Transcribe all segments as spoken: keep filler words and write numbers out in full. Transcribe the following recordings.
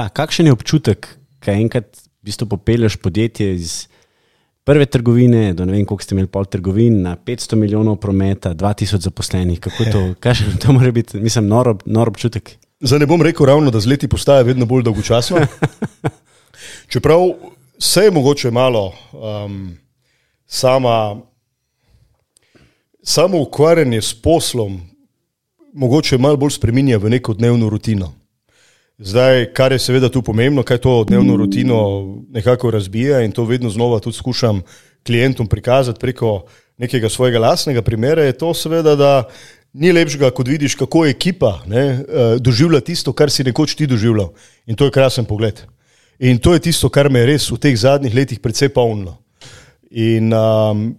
Kakšen je občutek, kaj enkrat v bistvu popelješ podjetje iz prve trgovine do ne vem, koliko ste imeli pol trgovin, na petsto milijonov prometa, dva tisoč zaposlenih, kako to, kakšen to mora biti, mislim, nor, nor občutek? Zdaj ne bom rekel ravno, da z leti postaja vedno bolj dolgočasno. Čeprav se je mogoče malo um, sama, samo ukvarjanje s poslom mogoče malo bolj spreminja v neko dnevno rutino. Zdaj, kar je seveda tu pomembno, kaj to dnevno rutino nekako razbija in to vedno znova tudi skušam klientom prikazati preko nekega svojega lastnega primera, je to seveda, da ni lepšega, kot vidiš, kako ekipa ne, doživlja tisto, kar si nekoč ti doživljal. In to je krasen pogled. In to je tisto, kar me je res v teh zadnjih letih precej polnilo. In um,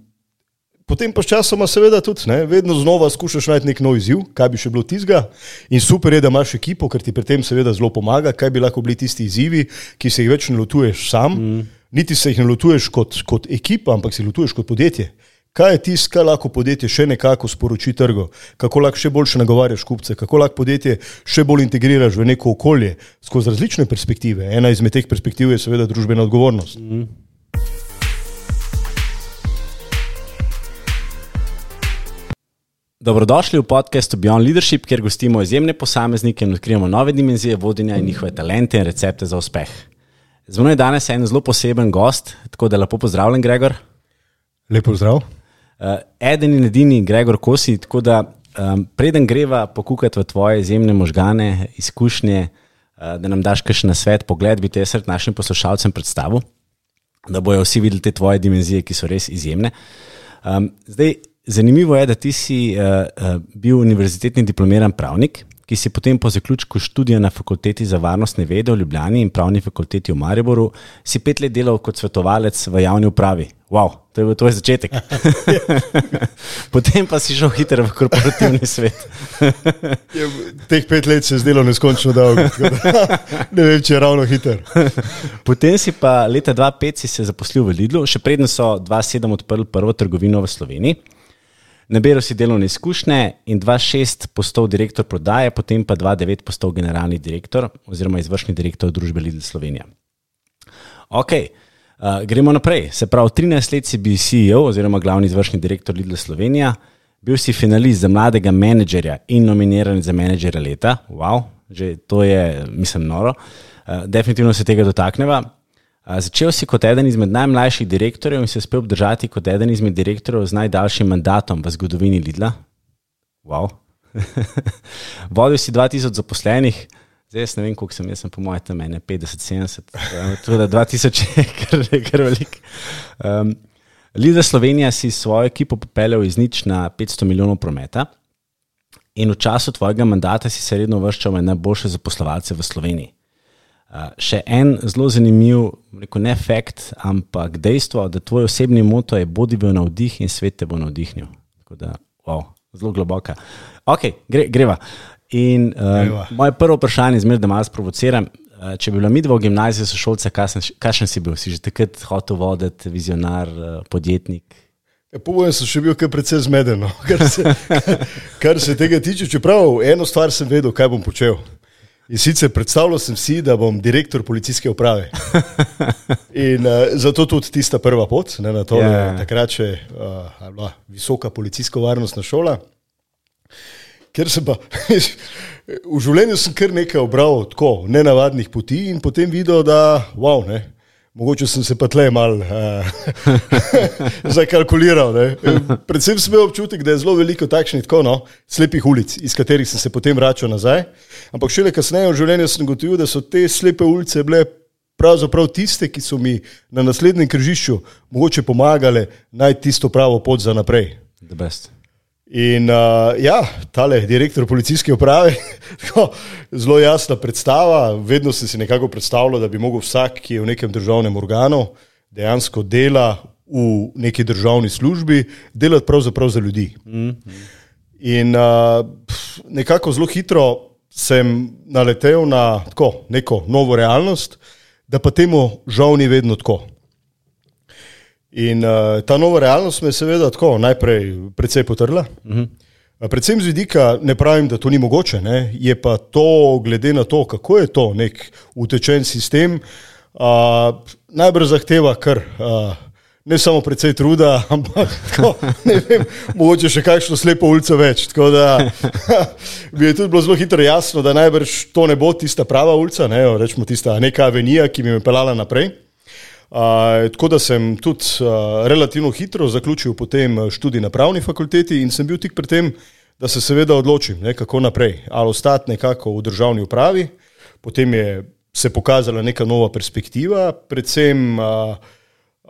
potem pa s časoma seveda tudi, ne, vedno znova skušaš najti nek nov izziv, kaj bi še bilo tizga. In super je, da imaš ekipo, ker ti pri tem seveda zelo pomaga, kaj bi lahko bili tisti izzivi, ki se jih več ne lotuješ sam, mm. niti se jih ne lotuješ kot, kot ekipa, ampak se lotuješ kot podjetje. Kaj je tisto, kaj lahko podjetje še nekako sporoči trgu, kako lahko še boljše nagovarjaš kupce, kako lahko podjetje še bolj integriraš v neko okolje skozi različne perspektive. Ena izmed teh perspektiv je seveda družbena odgovornost. Mm. Dobrodošli v podcastu Beyond Leadership, kjer gostimo izjemne posameznike in odkrijemo nove dimenzije vodenja in njihove talente in recepte za uspeh. Z mano je danes en zelo poseben gost, tako da lepo pozdravljen, Gregor. Lepo pozdrav. Uh, eden in edini Gregor Kosi, tako da um, preden greva pokukati v tvoje izjemne možgane, izkušnje, uh, da nam daš kakšen nasvet, pogled, bi te jaz našim poslušalcem predstavil, da bojo vsi videli te tvoje dimenzije, ki so res izjemne. Um, zdaj, zanimivo je, da ti si uh, uh, bil univerzitetni diplomiran pravnik, ki si potem po zaključku študija na fakulteti za varnostne vede v Ljubljani in pravni fakulteti v Mariboru si pet let delal kot svetovalec v javni upravi. Wow, to je bil tvoj začetek. Potem pa si šel hitro v korporativni svet. Je, teh pet let se je zdelo neskončno dolgo, ne vem, če je ravno hiter. Potem si pa leta dva tisoč pet si se zaposlil v Lidlu, še preden so dva tisoč sedem odprli prvo trgovino v Sloveniji. Naberal si delovne izkušnje in dva tisoč šest postal direktor prodaje, potem pa dva tisoč devet postal generalni direktor oziroma izvršni direktor družbe Lidl Slovenija. Ok, uh, gremo naprej. Se pravi, trinajst let si bil C E O oziroma glavni izvršni direktor Lidl Slovenija, bil si finalist za mladega menedžerja in nominiran za menedžera leta. Wow, že to je, mislim, noro. Uh, definitivno se tega dotakneva. Začel si kot eden izmed najmlajših direktorjev in se uspel obdržati kot eden izmed direktorjev z najdaljšim mandatom v zgodovini Lidla. Wow. Vodil si dva tisoč zaposlenih, zdaj jaz ne vem, koliko sem, jaz sem po moje tam ene petdeset sedemdeset, tudi dva tisoč je kar, kar velik. Um, Lidl Slovenija si svojo ekipo popeljal iz nič na petsto milijonov prometa in v času tvojega mandata si se redno uvrščal med najboljše zaposlovalce v Sloveniji. Uh, še en zelo zanimiv, rekel ne fakt, ampak dejstvo, da tvoj osebni moto je bodi v navdih in svet te bo navdihnil. Tako da, wow, zelo globoka. Ok, gre, greva. In uh, greva. Moje prvo vprašanje, zmer, da malo sprovociram, uh, če bi bila midva v gimnaziji sošolca, kakšen si bil? Si že takrat hotel voditi, vizionar, uh, podjetnik? Ja, po mojem sem še bil kar precej zmeden, no. kar, se, kar, kar se tega tiče. Čeprav eno stvar sem vedel, kaj bom počel. In sicer predstavljal sem si, da bom direktor policijske uprave. In uh, zato tudi tista prva pot, ne, na to, yeah. takrat še uh, visoka policijsko-varnostna šola. Ker sem pa, v življenju sem kar nekaj obral tako, nenavadnih poti in potem videl, da, wow, ne, mogoče sem se pa tle mal uh, zakalkuliral. Ne. Predvsem sem imel občutek, da je zelo veliko takšnih tako, no, slepih ulic, iz katerih sem se potem vračal nazaj. Ampak šele kasneje v življenju sem gotovil, da so te slepe ulice bile pravzaprav tiste, ki so mi na naslednjem križišču mogoče pomagale najti tisto pravo pot za naprej. The best. In uh, ja, tale direktor policijske uprave, tako, zelo jasna predstava, vedno sem si nekako predstavljal, da bi mogel vsak, ki je v nekem državnem organu, dejansko dela v neki državni službi, delati pravzaprav za ljudi. Mm-hmm. In uh, nekako zelo hitro sem naletel na tako, neko novo realnost, da pa temu žal ni vedno tako. In uh, ta nova realnost me je seveda tako najprej precej potrla. Uh-huh. Predvsem z vidika, ne pravim, da to ni mogoče, ne? Je pa to, glede na to, kako je to nek utečen sistem, uh, najbrž zahteva kar uh, ne samo precej truda, ampak tako, ne vem, mogoče še kakšno slepo ulico več. Tako da bi je tudi bilo zelo hitro jasno, da najbrž to ne bo tista prava ulica, ne? Rečemo tista neka avenija, ki bi me pelala naprej. Uh, tako da sem tudi uh, relativno hitro zaključil potem študij na pravni fakulteti in sem bil tik pred tem, da se seveda odločim, ne, kako naprej. Ali ostati nekako v državni upravi, potem je se pokazala neka nova perspektiva, predvsem uh,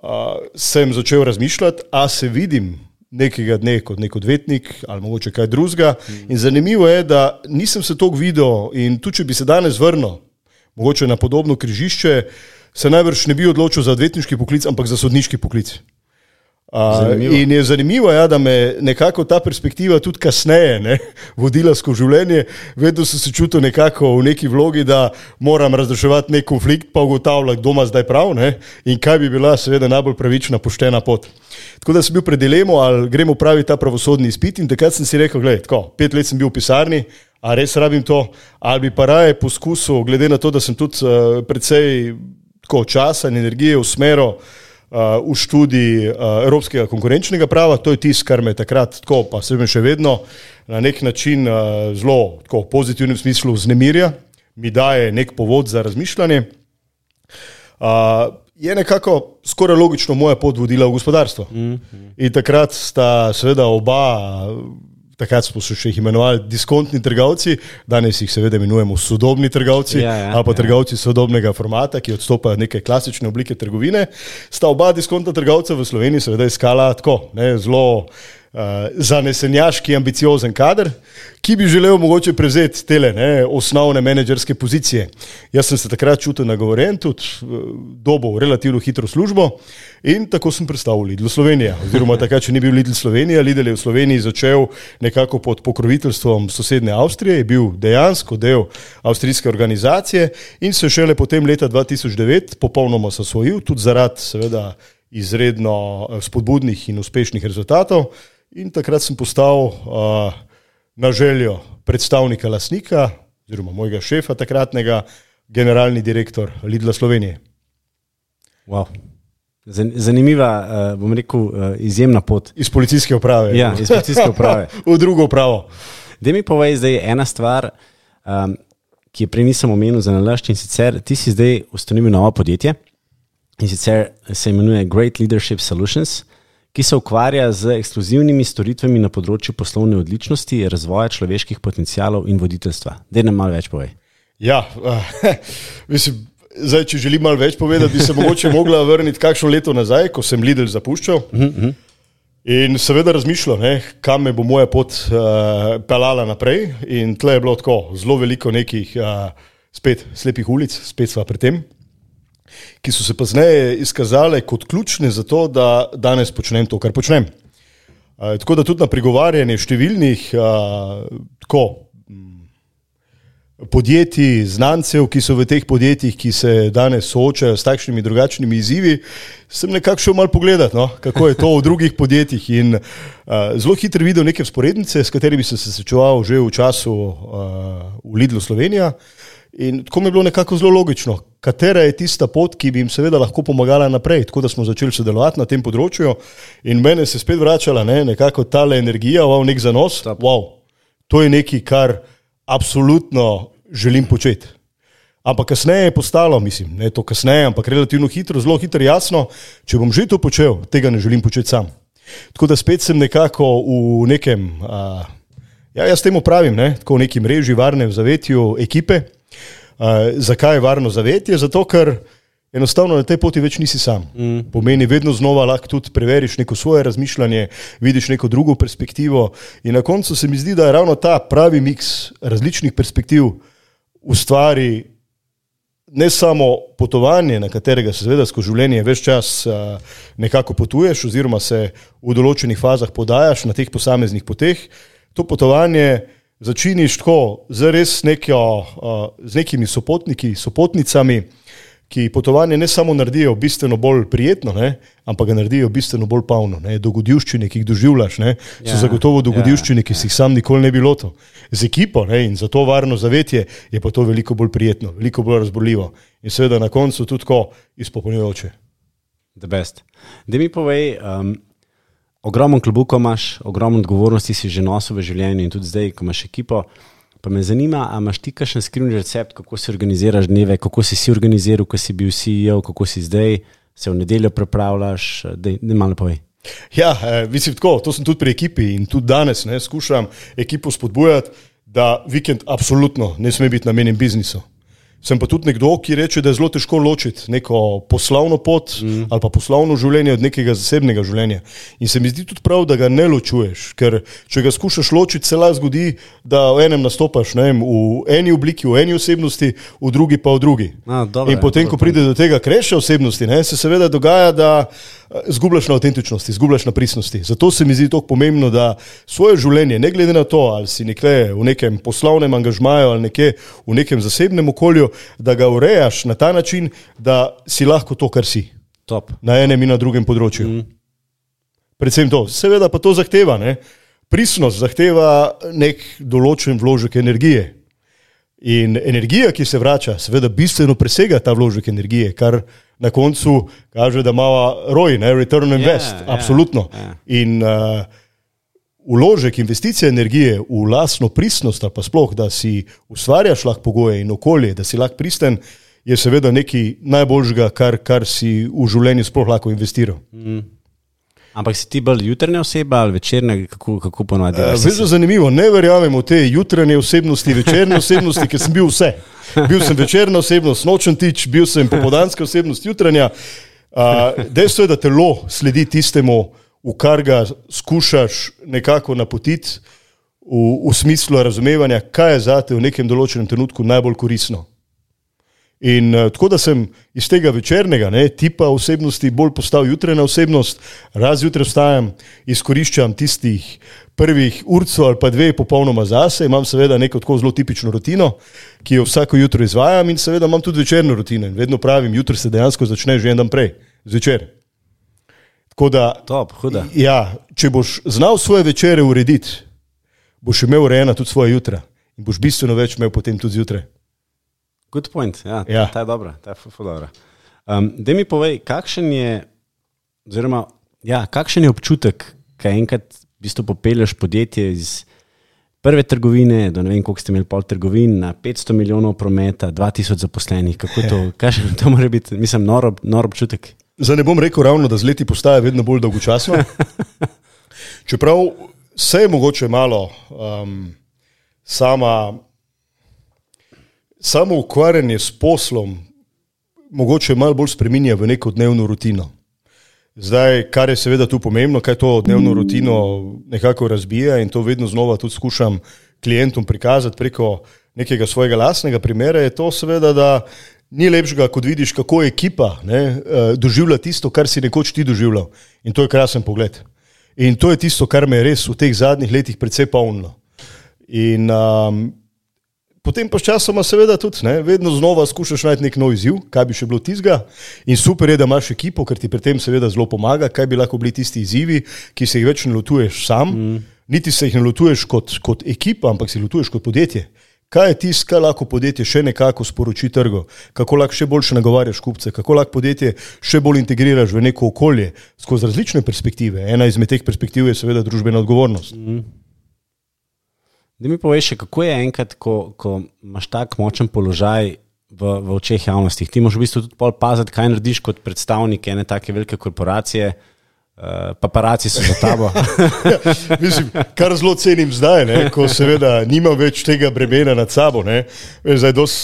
uh, sem začel razmišljati, a se vidim nekega dne kot nek odvetnik ali mogoče kaj drugega. In zanimivo je, da nisem se toliko videl in tudi, če bi se danes vrnil, mogoče na podobno križišče, se najbrž ne bi odločil za odvetniški poklic, ampak za sodniški poklic. Uh, in je zanimivo, ja, da me nekako ta perspektiva tudi kasneje ne, vodila skozi življenje. Vedno sem se čutil nekako v neki vlogi, da moram razreševati nek konflikt, pa ugotavljati, kdo ima zdaj prav, ne, in kaj bi bila seveda najbolj pravična, poštena pot. Tako da sem bil pred dilemo, ali gremo praviti ta pravosodni izpit, in takrat sem si rekel, gled, tako, pet let sem bil v pisarni, a res rabim to, ali bi pa raje poskusil, glede na to, da sem tudi uh, precej tako, časa in energije usmeril Uh, v študij uh, evropskega konkurenčnega prava, to je tisto, kar me takrat tako, pa se me še vedno na nek način uh, zelo tako, v pozitivnem smislu vznemirja, mi daje nek povod za razmišljanje. Uh, je nekako skoraj logično moja pot vodila v gospodarstvo. Mm-hmm. In takrat sta seveda oba, takrat smo se še jih imenovali diskontni trgovci, danes jih seveda imenujemo sodobni trgovci, ja, ja, ali pa ja. trgovci sodobnega formata, ki odstopajo neke klasične oblike trgovine. Sta oba diskontna trgovca v Sloveniji seveda iskala tako, ne, zelo uh, zanesenjaški, ambiciozen kader, ki bi želel mogoče prevzeti tele ne, osnovne menedžerske pozicije. Jaz sem se takrat čutil nagovoren, tudi dobil relativno hitro službo in tako sem prestal v Lidl Slovenija. Oziroma takrat, če ni bil Lidl Slovenija, Lidl je v Sloveniji začel nekako pod pokroviteljstvom sosednje Avstrije, je bil dejansko del avstrijske organizacije in se šele potem leta dva tisoč devet popolnoma zasvojil, tudi zaradi seveda izredno spodbudnih in uspešnih rezultatov. In takrat sem postal uh, na željo predstavnika lastnika, oziroma mojega šefa takratnega, generalni direktor Lidla Slovenije. Wow. Zanimiva, uh, bom rekel, uh, izjemna pot. Iz policijske uprave. Ja, iz policijske uprave. V drugo upravo. Daj mi povej zdaj ena stvar, um, ki je prej nisem omenil za nalašč, in sicer ti si zdaj ustanovil novo podjetje in sicer se imenuje Great Leadership Solutions, ki se ukvarja z ekskluzivnimi storitvami na področju poslovne odličnosti, razvoja človeških potencialov in voditeljstva. Daj nam malo več povej. Ja, uh, mislim, zdaj, če želim malo več povedati, bi se mogoče mogla vrniti kakšno leto nazaj, ko sem Lidl zapuščal. Uh-huh. In seveda razmišljal, ne, kam me bo moja pot uh, pelala naprej. In tle je bilo tako zelo veliko nekih uh, spet slepih ulic, spet sva pri tem, ki so se pozneje izkazale kot ključne za to, da danes počnem to, kar počnem. Uh, tako da tudi na pregovarjanje številnih uh, tako, podjetij, znancev, ki so v teh podjetjih, ki se danes soočajo s takšnimi drugačnimi izzivi, sem nekako šel malo pogledati, no, kako je to v drugih podjetjih in uh, zelo hitro videl neke vzporednice, s katerimi sem se srečeval že v času uh, v Lidlu Slovenija. In tako mi je bilo nekako zelo logično, katera je tista pot, ki bi jim seveda lahko pomagala naprej. Tako da smo začeli sodelovati na tem področju in mene se spet vračala ne, nekako tale energija, wow, nek zanos, wow, to je nekaj, kar absolutno želim početi. Ampak kasneje je postalo, mislim, ne to kasneje, ampak relativno hitro, zelo hitro jasno, če bom že to počel, tega ne želim početi sam. Tako da spet sem nekako v nekem, uh, ja, jaz temu pravim, ne, tako v neki mreži varne v zavetju ekipe. Uh, zakaj je varno zavetje? Zato, ker enostavno na tej poti več nisi sam. Mm. Pomeni, vedno znova lahko tudi preveriš neko svoje razmišljanje, vidiš neko drugo perspektivo in na koncu se mi zdi, da je ravno ta pravi miks različnih perspektiv ustvari ne samo potovanje, na katerega se seveda skozi življenje več čas uh, nekako potuješ oziroma se v določenih fazah podajaš na teh posameznih poteh. To potovanje začiniš tako z res nekjo, uh, z nekimi sopotniki, sopotnicami, ki potovanje ne samo naredijo bistveno bolj prijetno, ne, ampak ga naredijo bistveno bolj polno. Ne. Dogodivščine, ki jih doživljaš, ne, so ja, zagotovo dogodivščine, ja, ki si jih sam nikoli ne bi lotil. Z ekipo, ne, in za to varno zavetje je pa to veliko bolj prijetno, veliko bolj razborljivo. In seveda na koncu tudi tako izpopolnjujoče. The best. Da mi povej, um, ogromno klobuko imaš, ogromno odgovornosti si že nosil v življenju in tudi zdaj, ko imaš ekipo, pa me zanima, a imaš ti kakšen skrivni recept, kako si organiziraš dneve, kako si si organiziral, ko si bil C E O, kako si zdaj, se v nedeljo prepravljaš, da ne malo povej. Ja, eh, mislim tako, to sem tudi pri ekipi in tudi danes ne, skušam ekipo spodbujati, da vikend absolutno ne sme biti namenjen biznisu. Sem pa tudi nekdo, ki reče, da je zelo težko ločiti neko poslovno pot mm. ali pa poslovno življenje od nekega zasebnega življenja. In se mi zdi tudi prav, da ga ne ločuješ, ker če ga skušaš ločiti, se lahko zgodi, da v enem nastopaš ne vem, v eni obliki, v eni osebnosti, v drugi pa v drugi. A, dobre, in potem, ko pride do tega kreša osebnosti, ne, se seveda dogaja, da zgubljaš na avtentičnosti, zgubljaš na pristnosti. Zato se mi zdi tako pomembno, da svoje življenje, ne glede na to, ali si nekje v nekem poslovnem angažmaju ali nekje v nekem zasebnem okolju, da ga urejaš na ta način, da si lahko to, kar si. Top. Na enem in na drugem področju. Mm. Predvsem to. Seveda pa to zahteva, ne? Pristnost zahteva nek določen vložek energije. In energija, ki se vrača, seveda bistveno presega ta vložek energije, kar na koncu kaže, da ima R O I, ne? Return on Invest, yeah, absolutno. Yeah, yeah. In uh, vložek, investicija energije v lastno pristnost, ali pa sploh, da si ustvarjaš lahko pogoje in okolje, da si lahko pristen, je seveda nekaj najboljšega, kar, kar si v življenju sploh lahko investiral. Mm. Ampak si ti bolj jutranja oseba ali večerna, kako, kako ponovadi? Uh, Vezo zanimivo, ne verjamem v te jutranje osebnosti, večerne osebnosti, ker sem bil vse. Bil sem večerna osebnost, nočen tič, bil sem popoldanska osebnost, jutranja. Uh, dejstvo je, da telo sledi tistemu, v kar ga skušaš nekako napotiti v, v smislu razumevanja, kaj je zate v nekem določenem trenutku najbolj koristno. In uh, tako da sem iz tega večernega ne, tipa osebnosti bolj postal jutrajna osebnost, raz jutraj vstajam, izkoriščam tistih prvih urco ali pa dve popolnoma zase, imam seveda neko tako zelo tipično rutino, ki jo vsako jutro izvajam in seveda imam tudi večerno rutino in vedno pravim, jutro se dejansko začne že en dan prej, zvečer. Tako da, Top, huda. Ja, če boš znal svoje večere urediti, boš imel urejena tudi svoje jutra in boš bistveno več imel potem tudi zjutraj. Good point, ja, ja. Ta je dobra, ta je ful dobra. Um, daj mi povej, kakšen je, oziroma, ja, kakšen je občutek, kaj enkrat v bistvu popelješ podjetje iz prve trgovine, do ne vem, koliko ste imeli pol trgovin, na petsto milijonov prometa, dva tisoč zaposlenih, kako to, kakšen to mora biti, mislim, nor, nor občutek? Zdaj ne bom rekel ravno, da z leti postaja vedno bolj dolgočasno, čeprav se je mogoče malo um, sama Samo ukvarjanje s poslom mogoče malo bolj spreminja v neko dnevno rutino. Zdaj, kar je seveda tu pomembno, kaj to dnevno rutino nekako razbija in to vedno znova tudi skušam klientom prikazati preko nekega svojega lastnega primera, je to seveda, da ni lepšega, kot vidiš, kako ekipa ne, doživlja tisto, kar si nekoč ti doživljal. In to je krasen pogled. In to je tisto, kar me je res v teh zadnjih letih precej polnilo. In um, potem pa s časoma seveda tudi, ne, vedno znova skušaš najti nek nov izziv, kaj bi še bilo tizga in super je, da imaš ekipo, ker ti pri tem seveda zelo pomaga, kaj bi lahko bili tisti izzivi, ki se jih več ne lotuješ sam, mm. niti se jih ne lotuješ kot, kot ekipa, ampak se jih lotuješ kot podjetje. Kaj je tisto, kaj lahko podjetje še nekako sporoči trgu, kako lahko še boljše nagovarjaš kupce, kako lahko podjetje še bolj integriraš v neko okolje skozi različne perspektive. Ena izmed teh perspektiv je seveda družbena odgovornost. Mm. Da mi poveš še, kako je enkrat, ko, ko imaš tak močen položaj v, v očeh javnosti. Ti moraš v bistvu tudi pol paziti, kaj narediš kot predstavnik ene take velike korporacije, uh, paparaci so za tabo. Ja, mislim, kar zelo cenim zdaj, ne, ko seveda nimam več tega bremena nad sabo. Ne. Zdaj dos,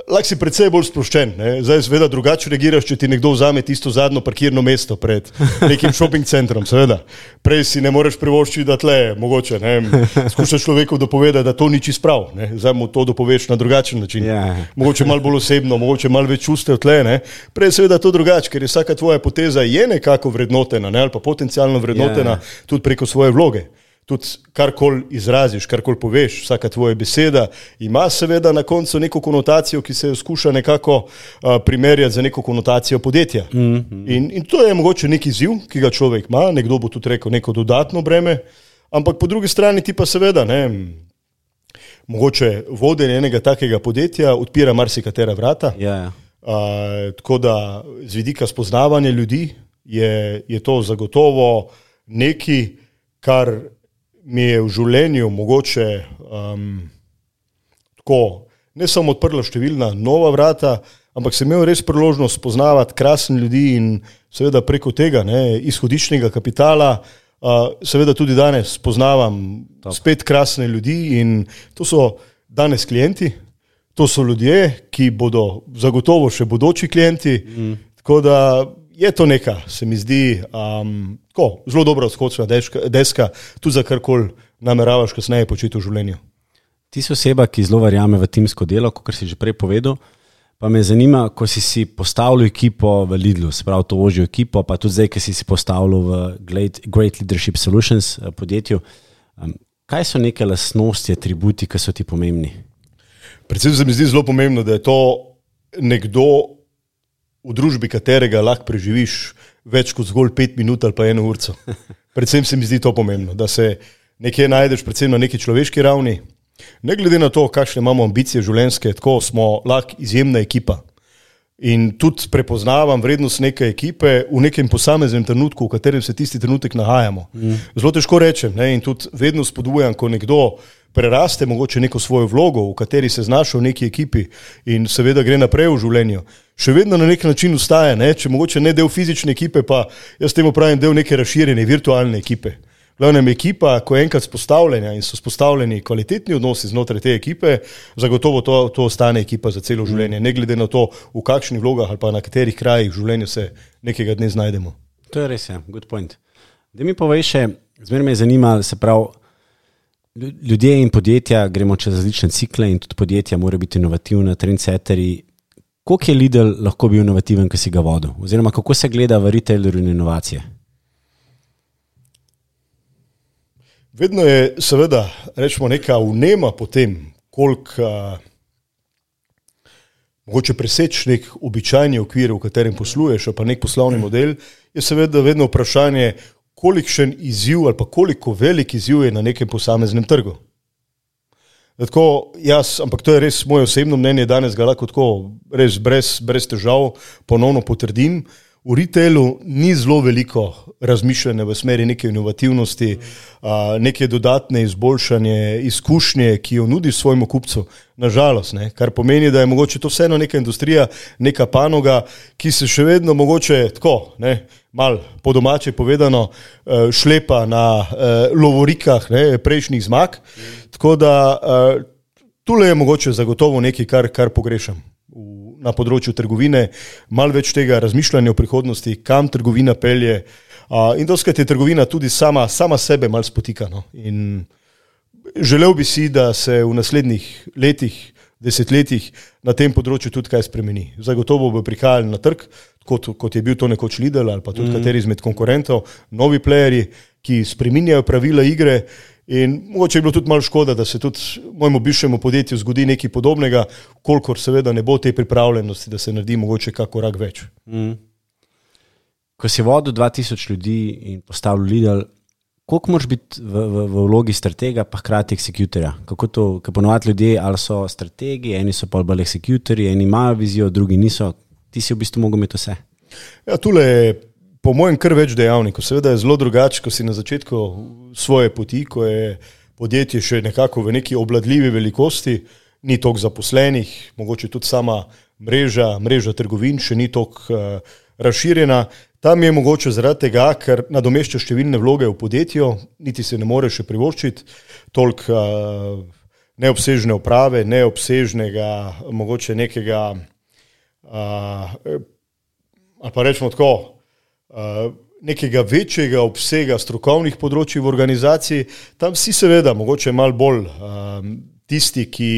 lahko si precej bolj sproščen. Ne. Zdaj seveda drugače reagiraš, če ti nekdo vzame tisto zadnjo parkirno mesto pred nekim shopping centrom, seveda. Prej si ne moreš privoščiti, da tle, mogoče, ne, skušaš človeku dopovedati, da to ni čisto prav. Ne. Zdaj mu to dopoveš na drugačen način. Yeah. Mogoče malo bolj osebno, mogoče malo več čustev tle. Ne. Prej seveda to drugače, ker je vsaka tvoja poteza je nekako vrednotena, ne, ali pa potencialno vrednotena yeah. tudi preko svoje vloge. tudi karkoli izraziš, karkoli poveš, vsaka tvoja beseda ima seveda na koncu neko konotacijo, ki se jo skuša nekako uh, primerjati za neko konotacijo podjetja. Mm-hmm. In, in to je mogoče neki izziv, ki ga človek ima, nekdo bo tudi rekel neko dodatno breme, ampak po drugi strani ti pa seveda, ne, mogoče vodenje enega takega podjetja odpira marsikatera vrata. Yeah. Uh, tako da z vidika spoznavanja ljudi je, je to zagotovo nekaj, kar mi je v življenju mogoče um, tako ne samo odprlo številna nova vrata, ampak sem imel res priložnost spoznavati krasne ljudi in seveda preko tega ne, izhodiščnega kapitala uh, seveda tudi danes spoznavam Top. spet krasne ljudi in to so danes klienti, to so ljudje, ki bodo zagotovo še bodoči klienti, mm. tako da je to neka, se mi zdi, um, tako, zelo dobra odskočna deska, tudi za karkoli nameravaš kasneje početi v življenju. Ti si oseba, ki zelo verjame v timsko delo, kot si že prej povedal, pa me zanima, ko si si postavil ekipo v Lidlu, se pravi to ožjo ekipo, pa tudi zdaj, ko si si postavil v Great, Great Leadership Solutions podjetju, um, kaj so neke lastnosti, atributi, ki so ti pomembni? Predvsem se mi zdi zelo pomembno, da je to nekdo, v družbi katerega lahko preživiš več kot zgolj pet minut ali pa eno urco. Predvsem se mi zdi to pomembno, da se nekje najdeš predvsem na neki človeški ravni. Ne glede na to, kakšne imamo ambicije življenjske, tako smo lahko izjemna ekipa. In tudi prepoznavam vrednost neke ekipe v nekem posameznem trenutku, v katerem se tisti trenutek nahajamo. Mm. Zelo težko rečem, ne? In tudi vedno spodbujam, ko nekdo preraste mogoče neko svojo vlogo, v kateri se znašel v neki ekipi in seveda gre naprej v življenju. Še vedno na nek način ustaje, ne? Če mogoče ne del fizične ekipe, pa jaz temu pravim del neke razširjene virtualne ekipe. Glavnem ekipa, ko je enkrat spostavljena in so spostavljeni kvalitetni odnosi znotraj te ekipe, zagotovo to, to ostane ekipa za celo življenje, ne glede na to, v kakšnih vlogah ali pa na katerih krajih v življenju se nekega dne znajdemo. To je res, ja, good point. Da mi povej še, zmeraj me je zanimalo, se pravi, ljudje in podjetja, gremo čez različne cikle in tudi podjetja morajo biti inovativna, trendsetteri. Koliko je Lidl lahko bil inovativen, ko si ga vodil? Oziroma, kako se gleda v retailerju in inovacije? Vedno je seveda, rečemo, neka vnema po tem, koliko uh, mogoče preseči nek običajni okvir, v katerem posluješ, pa nek poslovni model, je seveda vedno vprašanje, kolikšen izziv ali pa koliko velik izziv je na nekem posameznem trgu. Tako, jaz, ampak to je res moje osebno mnenje, danes ga lahko tako res brez, brez težav ponovno potrdim. V retailu ni zelo veliko razmišljanja v smeri neke inovativnosti, neke dodatne izboljšanje, izkušnje, ki jo nudiš svojemu kupcu, nažalost, ne, kar pomeni, da je mogoče to vseeno neka industrija, neka panoga, ki se še vedno mogoče tako, ne, mal po domače povedano, šlepa na lovorikah ne, prejšnjih zmag, tako da tule je mogoče zagotovo nekaj, kar, kar pogrešam na področju trgovine, malo več tega razmišljanja o prihodnosti, kam trgovina pelje in doskrat je trgovina tudi sama, sama sebe malo spotika. No. In želel bi si, da se v naslednjih letih, desetletjih na tem področju tudi kaj spremeni. Zagotovo bo prihajali na trg, kot, kot je bil to nekoč Lidl ali pa tudi mm. kateri izmed konkurentov, novi playerji, ki spreminjajo pravila igre. In mogoče je bilo tudi malo škoda, da se tudi mojemu bivšemu podjetju zgodi nekaj podobnega, kolikor seveda ne bo te pripravljenosti, da se naredi mogoče kak korak več. Mm. Ko si vodil dva tisoč ljudi in postavil Lidl, koliko moraš biti v, v, v vlogi stratega pa hkrati executorja? Kako to, ker ponovadi ljudje ali so strategi, eni so pa bolj executorji, eni imajo vizijo, drugi niso. Ti si v bistvu mogel imeti vse. Ja, tule je po mojem kar več dejavnikov. Seveda je zelo drugače, ko si na začetku svoje poti, ko je podjetje še nekako v neki obladljivi velikosti, ni toliko zaposlenih, mogoče tudi sama mreža, mreža trgovin še ni toliko uh, razširjena. Tam je mogoče zaradi tega, ker nadomešča številne vloge v podjetju, niti se ne more še privoščiti toliko uh, neobsežne uprave, neobsežnega, mogoče nekega, uh, ali pa rečemo tako, uh, nekega večjega obsega strokovnih področij v organizaciji. Tam si seveda mogoče malo bolj uh, tisti, ki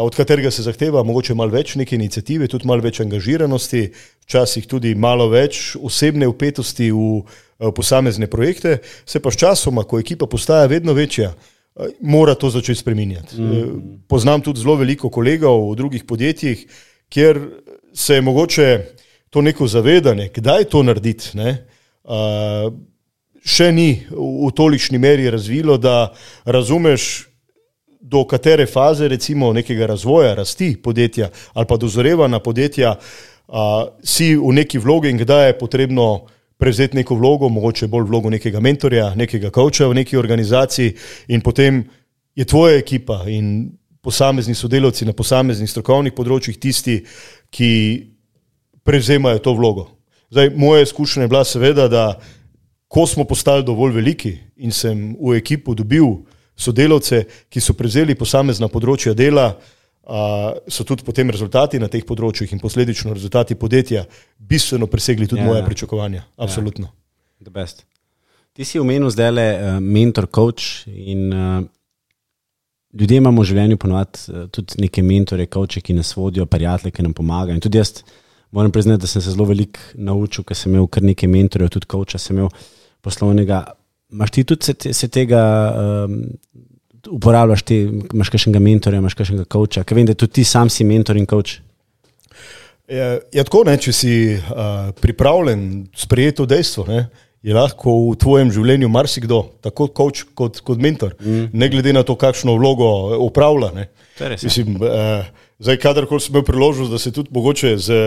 od katerega se zahteva mogoče malo več neke iniciative, tudi malo več angažiranosti, včasih tudi malo več osebne vpetosti v posamezne projekte, se pa s časoma, ko ekipa postaja vedno večja, mora to začeti spreminjati. Mm. Poznam tudi zelo veliko kolegov v drugih podjetjih, kjer se je mogoče to neko zavedanje, kdaj to narediti, ne, še ni v tolikšni meri razvilo, da razumeš, do katere faze recimo nekega razvoja, rasti podjetja ali pa dozorevanja podjetja a, si v neki vlogi in kdaj je potrebno prevzeti neko vlogo, mogoče bolj vlogo nekega mentorja, nekega coacha v neki organizaciji in potem je tvoja ekipa in posamezni sodelavci na posameznih strokovnih področjih tisti, ki prevzemajo to vlogo. Zdaj, moja izkušnja je bila seveda, da ko smo postali dovolj veliki in sem v ekipo dobil sodelavce, ki so prevzeli posamezna področja dela, a, so tudi potem rezultati na teh področjih in posledično rezultati podjetja bistveno presegli tudi ja, moje pričakovanja. Absolutno. Ja. The best. Ti si omenil zdajle uh, mentor, coach in uh, ljudje imamo v življenju ponovati uh, tudi neke mentore, coache, ki nas vodijo, prijatelje, ki nam pomagajo. In tudi jaz moram priznati, da sem se zelo veliko naučil, ker sem imel kar nekaj mentorjev, tudi coacha sem imel poslovnega. Imaš ti tudi se, se tega, um, uporabljaš ti, imaš kakšnega mentorja, imaš kakšnega coacha, ker vem, da tudi ti sam si mentor in coach. Je, je tako, ne, če si uh, pripravljen sprejeti to dejstvo, ne, je lahko v tvojem življenju marsikdo, tako coach kot, kot mentor, mm. ne glede na to, kakšno vlogo upravlja. Ne. Mislim, uh, zdaj, kadarkoli sem imel priložnost, da se tudi mogoče z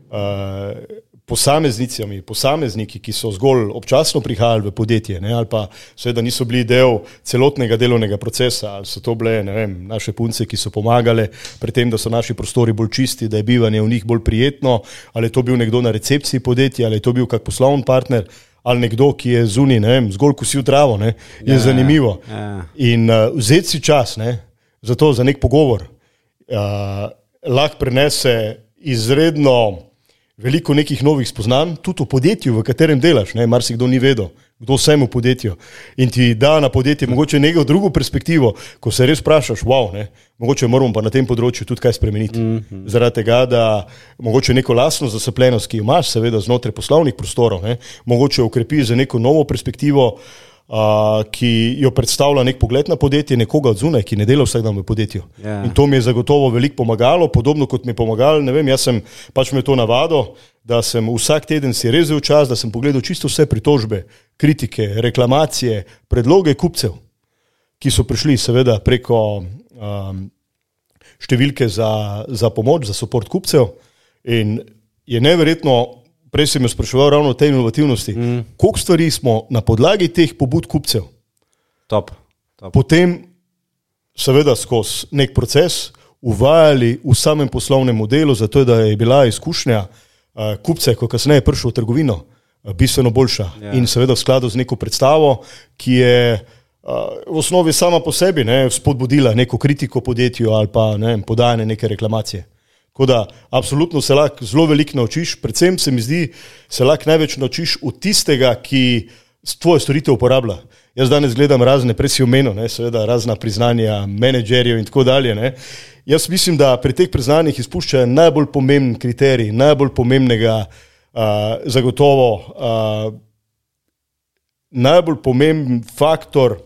uh, posameznicami, posamezniki, ki so zgolj občasno prihajali v podjetje, ne, ali pa seveda niso bili del celotnega delovnega procesa, ali so to bile, ne vem, naše punce, ki so pomagale pri tem, da so naši prostori bolj čisti, da je bivanje v njih bolj prijetno, ali je to bil nekdo na recepciji podjetja, ali je to bil kak poslovni partner, ali nekdo, ki je zunaj, ne vem, zgolj kosil travo, ne, je ja, zanimivo. Ja. In uh, vzeti si čas, ne, za to, za nek pogovor, uh, lahko prinese izredno veliko nekih novih spoznanj, tudi v podjetju, v katerem delaš, ne, marsikdo ni vedel, kdo vsem v podjetju in ti da na podjetje mogoče neko drugo perspektivo, ko se res vprašaš, wow, ne, mogoče moramo pa na tem področju tudi kaj spremeniti. Mm-hmm. Zaradi tega, da mogoče neko lastno zasepljenost, ki imaš seveda znotraj poslovnih prostorov, ne, mogoče ukrepiš za neko novo perspektivo, Uh, ki jo predstavlja nek pogled na podjetje, nekoga od zunaj, ki ne dela vsak dan v podjetju. Yeah. In to mi je zagotovo veliko pomagalo, podobno kot mi je pomagalo, ne vem, jaz sem pač me to navado, da sem vsak teden si rezel čas, da sem pogledal čisto vse pritožbe, kritike, reklamacije, predloge kupcev, ki so prišli seveda preko um, številke za, za pomoč, za support kupcev in je neverjetno. Prej sem jo spraševal ravno o tej inovativnosti. Mm. Koliko stvari smo na podlagi teh pobud kupcev top, top. potem seveda skozi nek proces uvajali v samem poslovnem modelu, zato da je bila izkušnja uh, kupce, ko kasneje je prišel v trgovino, uh, bistveno boljša. Yeah. In seveda v skladu z neko predstavo, ki je uh, v osnovi sama po sebi ne, spodbudila neko kritiko podjetju ali pa ne, podajanje neke reklamacije. Tako da, absolutno se lahko zelo veliko naučiš, predvsem se mi zdi, se lahko največ naučiš od tistega, ki tvoje storitev uporablja. Jaz danes gledam razne, prej si omenil, ne, seveda razna priznanja menedžerjev in tako dalje. Ne. Jaz mislim, da pri teh priznanjih izpuščajo najbolj pomemben kriterij, najbolj pomembnega uh, zagotovo, uh, najbolj pomemben faktor,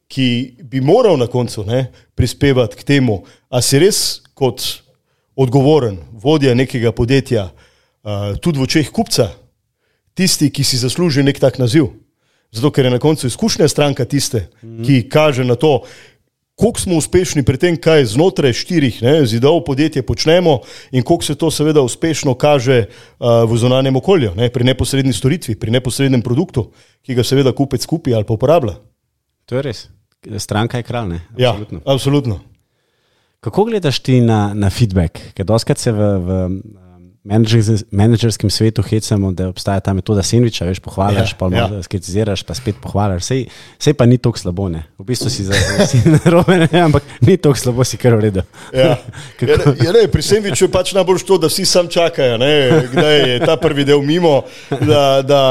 ki bi moral na koncu ne, prispevati k temu, a si res kot odgovoren, vodja nekega podjetja, uh, tudi v očeh kupca, tisti, ki si zasluži nek tak naziv. Zato, ker je na koncu izkušnja stranka tiste, mm-hmm. ki kaže na to, koliko smo uspešni pri tem, kaj znotraj štirih ne, zidov podjetje počnemo in koliko se to seveda uspešno kaže uh, v zunanjem okolju, ne, pri neposredni storitvi, pri neposrednem produktu, ki ga seveda kupec kupi ali pa uporablja. To je res. Stranka je kralj, ne? Absolutno. Ja, absolutno. Kako gledaš ti na, na feedback? Ker doskrat se v, v menedžerskem svetu hecamo, da obstaja ta metoda sendviča, veš, pohvališ, ja, pa malo ja. skritiziraš, pa spet pohvališ. Sej, sej pa ni toliko slabo, ne. V bistvu si za narobe, ne, ampak ni toliko slabo, si kar v redu. Ja. Ja, ne, ja, ne, pri sendviču je pač najbolj to, da vsi sam čakajo, ne, kdaj je ta prvi del mimo, da, da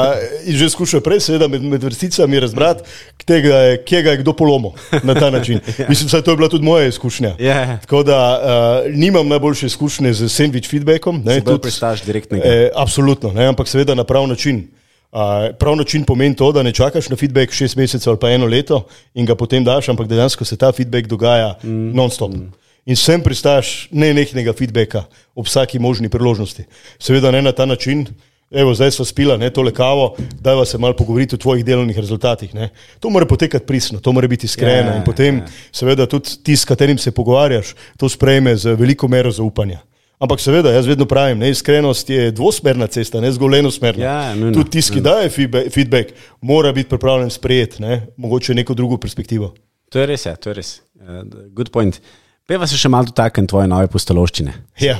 in že skušajo prej, seveda med, med vrsticami razbrati, tega je, kje ga je kdo polomil na ta način. Ja. Mislim, da to je bila tudi moja izkušnja. Ja. Tako da uh, nimam najboljše izkušnje z sendvič feedbackom. Ne, Prestaš direktnega. Eh, absolutno, ne, ampak seveda na prav način. Uh, prav način pomeni to, da ne čakaš na feedback šest mesecev ali pa eno leto in ga potem daš, ampak dejansko se ta feedback dogaja mm. non-stop. Mm. In sem pristaš nenehnega feedbacka ob vsaki možni priložnosti. Seveda ne na ta način, evo zdaj sva spila ne, tole kavo, dajva se malo pogovoriti o tvojih delovnih rezultatih. Ne. To mora potekati pristno, to mora biti iskreno yeah, in potem yeah. seveda tudi ti, s katerim se pogovarjaš, to sprejme z veliko mero zaupanja. Ampak seveda, jaz vedno pravim, ne, iskrenost je dvosmerna cesta, ne zgolj enosmerna. Ja, no, no, tudi tisti, ki daje feedback, mora biti pripravljen sprejeti, ne, mogoče neko drugo perspektivo. To je res, ja, to je res. Uh, good point. Peva se še malo dotaknem tvoje nove pustolovščine. Ja,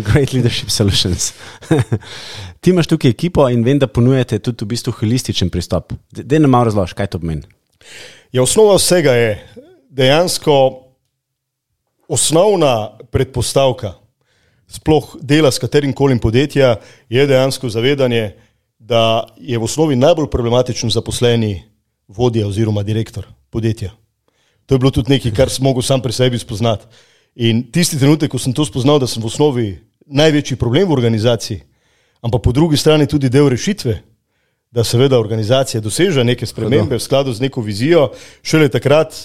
Great Leadership Solutions. Ti imaš tukaj ekipo in vem, da ponujate tudi v bistvu holističen pristop. Dej nam malo razloži, kaj to pomeni. Ja, osnova vsega je dejansko osnovna predpostavka sploh dela s katerim kolim podjetja, je dejansko zavedanje, da je v osnovi najbolj problematičen zaposleni vodja oziroma direktor podjetja. To je bilo tudi nekaj, kar sem mogel sam pri sebi spoznati. In tisti trenutek, ko sem to spoznal, da sem v osnovi največji problem v organizaciji, ampak po drugi strani tudi del rešitve, da seveda organizacija doseže neke spremembe v skladu z neko vizijo, šele takrat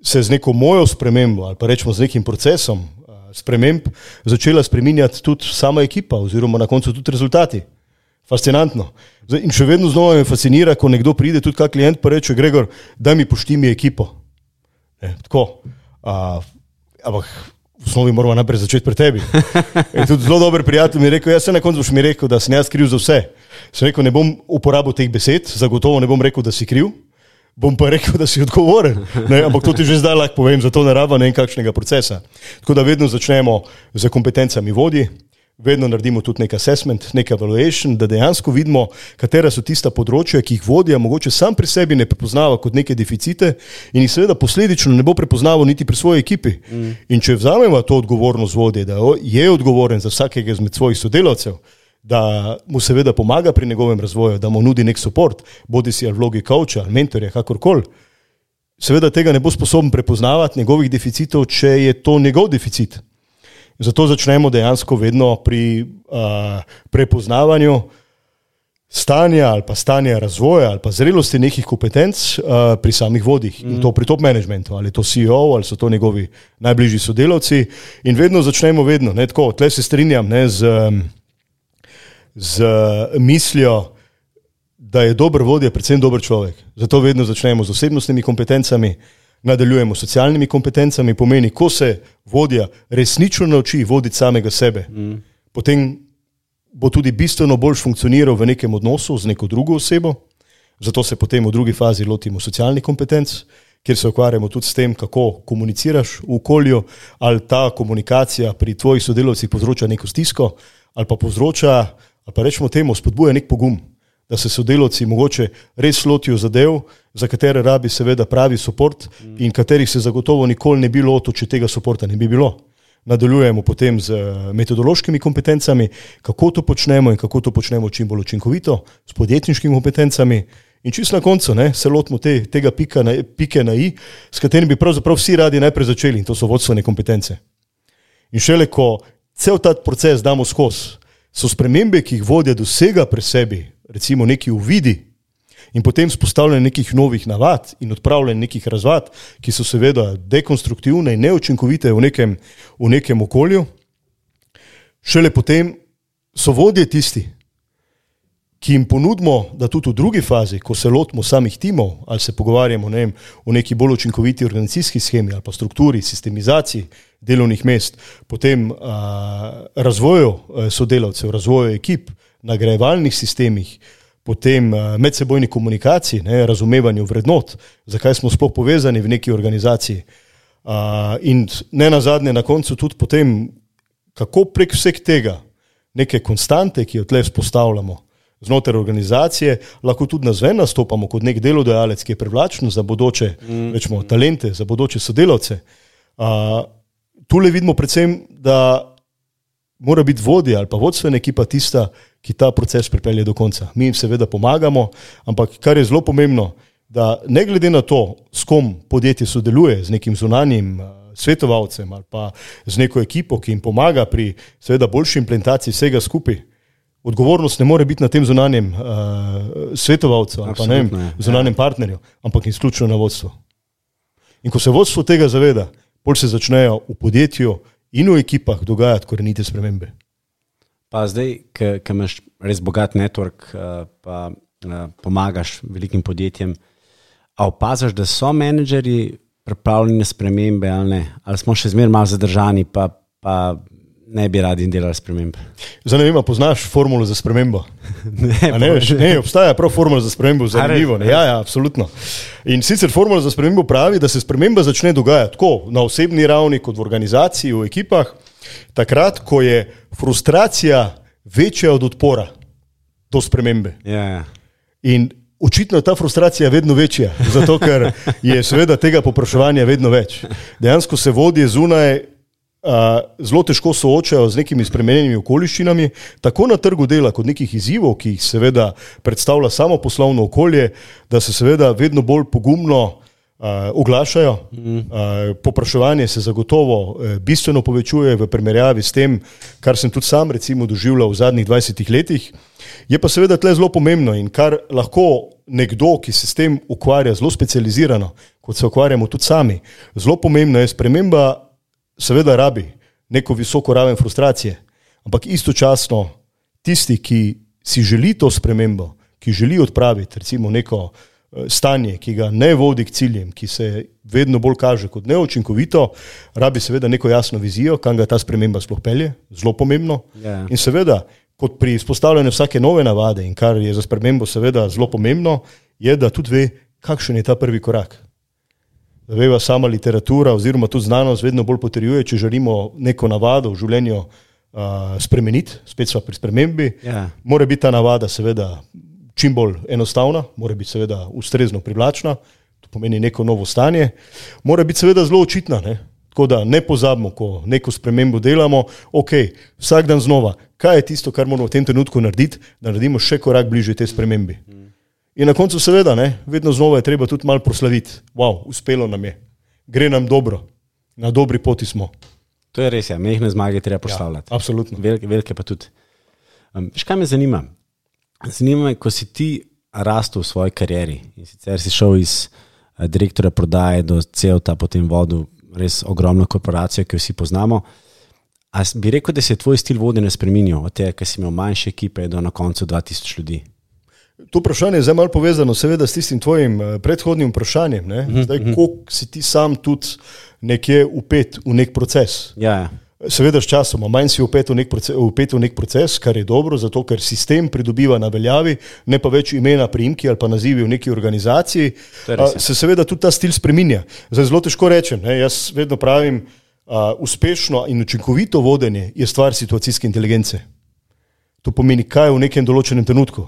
se z neko mojo spremembo ali pa rečemo z nekim procesom sprememb začela spreminjati tudi sama ekipa oziroma na koncu tudi rezultati. Fascinantno. In še vedno znova me fascinira, ko nekdo pride, tudi kak klient pa reče, Gregor, daj mi pošti mi ekipo. Ne, tako. A, ampak v osnovi moramo najprej začeti pri tebi. In tudi zelo dober prijatelj mi je rekel, jaz se na koncu boš mi rekel, da sem jaz kriv za vse. Sem rekel, ne bom uporabil teh besed, zagotovo ne bom rekel, da si kriv, bom pa rekel, da si odgovoren. Ne, ampak to ti že zdaj lahko povem, zato ne rabim nekakšnega procesa. Tako da vedno začnemo z kompetencami vodji, vedno naredimo tudi nek assessment, nek evaluation, da dejansko vidimo, katera so tista področja, ki jih vodja mogoče sam pri sebi ne prepoznava kot neke deficite in jih seveda posledično ne bo prepoznaval niti pri svoji ekipi. Mm. In če vzamemo to odgovornost vodje, da je odgovoren za vsakega izmed svojih sodelavcev, da mu seveda pomaga pri njegovem razvoju, da mu nudi nek support, bodi si ali vlogi coacha, mentorja, kakorkoli. Seveda tega ne bo sposoben prepoznavati njegovih deficitov, če je to njegov deficit. Zato začnemo dejansko vedno pri uh, prepoznavanju stanja ali pa stanja razvoja ali pa zrelosti nekih kompetenc uh, pri samih vodjih. Mm. In to pri top managementu, ali je to C E O, ali so to njegovi najbližji sodelavci. In vedno začnemo vedno, ne tako, tle se strinjam, ne, z... Um, z mislijo, da je dober vodja, predvsem dober človek. Zato vedno začnemo z osebnostnimi kompetencami, nadaljujemo s socialnimi kompetencami, pomeni, ko se vodja resnično nauči voditi samega sebe, mm. potem bo tudi bistveno bolj funkcioniral v nekem odnosu z neko drugo osebo, zato se potem v drugi fazi lotimo socialnih kompetenc, kjer se ukvarjamo tudi s tem, kako komuniciraš v okolju, ali ta komunikacija pri tvojih sodelavcih povzroča neko stisko, ali pa povzroča, ali pa rečemo temu, spodbuja nek pogum, da se sodelavci mogoče res lotijo zadev, za katere rabi seveda pravi support in katerih se zagotovo nikoli ne bi lotil, če tega supporta ne bi bilo. Nadaljujemo potem z metodološkimi kompetencami, kako to počnemo in kako to počnemo čim bolj učinkovito, s podjetniškimi kompetencami in čisto na koncu ne, se lotimo te, tega pika na, pike na i, s katerim bi pravzaprav vsi radi najprej začeli in to so vodstvene kompetence. In šele ko cel ta proces damo skozi, so spremembe, ki jih vodja dosega pri sebi, recimo neki uvidi in potem spostavljanje nekih novih navad in odpravljanje nekih razvad, ki so seveda dekonstruktivne in neučinkovite v nekem, v nekem okolju, šele potem so vodje tisti, ki jim ponudimo, da tudi v drugi fazi, ko se lotimo samih timov ali se pogovarjamo ne vem, o neki bolj učinkoviti organizacijski schemi ali pa strukturi, sistemizaciji delovnih mest, potem a, razvoju sodelavcev, razvoju ekip, nagrajevalnih sistemih, potem a, medsebojni komunikaciji, ne, razumevanju vrednot, zakaj smo sploh povezani v neki organizaciji a, in ne nazadnje na koncu tudi potem, kako prek vseh tega neke konstante, ki jo tle vzpostavljamo znotraj organizacije, lahko tudi nazven nastopamo kot nek delodajalec, ki je privlačen za bodoče mm. rečemo, talente, za bodoče sodelavce. Uh, tule vidimo predvsem, da mora biti vodja ali pa vodstvena ekipa tista, ki ta proces pripelje do konca. Mi jim seveda pomagamo, ampak kar je zelo pomembno, da ne glede na to, s kom podjetje sodeluje, z nekim zunanjim svetovalcem ali pa z neko ekipo, ki jim pomaga pri seveda boljši implementaciji vsega skupaj, odgovornost ne more biti na tem zunanjem uh, svetovalcu ali pa ne vem, zunanjem partnerju, ampak izključno na vodstvu. In ko se vodstvo tega zaveda, bolj se začnejo v podjetju in v ekipah dogajati korenite spremembe. Pa zdaj, ko imaš res bogat network, pa pomagaš velikim podjetjem, a opaziš, da so menedžerji pripravljeni na spremembe ali ne? Ali smo še zmeraj malo zadržani, pa, pa ne bi radi delali spremembe? Zdaj ne vem, poznaš formulo za spremembo? ne, ne, veš, ne, obstaja prav formula za spremembo, zanimivo. Ne? Ja, ja, absolutno. In sicer formula za spremembo pravi, da se sprememba začne dogajati tako na osebni ravni, kot v organizaciji, v ekipah, takrat, ko je frustracija večja od odpora do spremembe. Ja, ja. In očitno je ta frustracija vedno večja, zato ker je seveda tega popraševanja vedno več. Dejansko se vodje zunaj uh, zelo težko soočajo z nekimi spremenjenimi okoliščinami, tako na trgu dela kot nekih izzivov, ki jih seveda predstavlja samo poslovno okolje, da se seveda vedno bolj pogumno uh, oglašajo. Mm. Uh, popraševanje se zagotovo uh, bistveno povečuje v primerjavi s tem, kar sem tudi sam recimo doživljal v zadnjih dvajsetih letih. Je pa seveda tle zelo pomembno in kar lahko nekdo, ki se s tem ukvarja zelo specializirano, kot se ukvarjamo tudi sami, zelo pomembno je sprememba, seveda rabi neko visoko raven frustracije, ampak istočasno tisti, ki si želi to spremembo, ki želi odpraviti recimo neko stanje, ki ga ne vodi k ciljem, ki se vedno bolj kaže kot neučinkovito, rabi seveda neko jasno vizijo, kam ga ta sprememba sploh pelje, zelo pomembno. Yeah. In seveda, kot pri izpostavljanju vsake nove navade in kar je za spremembo seveda zelo pomembno, je, da tudi ve, kakšen je ta prvi korak. Da veva sama literatura oziroma tudi znanost vedno bolj potrjuje, če želimo neko navado v življenju uh, spremeniti, spet sva pri spremembi, yeah. Mora biti ta navada seveda čim bolj enostavna, mora biti seveda ustrezno privlačna, to pomeni neko novo stanje, mora biti seveda zelo očitna, ne? Tako da ne pozabimo, ko neko spremembo delamo, ok, vsak dan znova, kaj je tisto, kar moramo v tem trenutku narediti, da naredimo še korak bližje te spremembi. In na koncu seveda, ne, vedno znova je treba tudi malo proslaviti. Wow, uspelo nam je, gre nam dobro, na dobri poti smo. To je res, ja, mehne zmage treba proslavljati. Ja, absolutno. Velike, velike pa tudi. Um, škaj me zanima? Zanima me, ko si ti rastel v svoji karieri in sicer si šel iz uh, direktorja prodaje do Cevta, potem vodu res ogromno korporacijo, ki jo vsi poznamo. A bi rekel, da se je tvoj stil vodenja spremenil od tega, ker si imel manjše ekipe do na koncu dva tisoč ljudi? To vprašanje je zdaj malo povezano seveda s tistim tvojim predhodnim vprašanjem. Ne? Zdaj, mm-hmm. koliko si ti sam tudi nekje upet v nek proces. Ja, ja. Seveda s časoma, manj si upet v, nek proces, upet v nek proces, kar je dobro, zato ker sistem pridobiva na veljavi, ne pa več imena, priimki ali pa nazivi v neki organizaciji, a, se seveda tudi ta stil spreminja. Zdaj zelo težko rečem, ne? Jaz vedno pravim, a, uspešno in učinkovito vodenje je stvar situacijske inteligence. To pomeni, kaj v nekem določenem trenutku.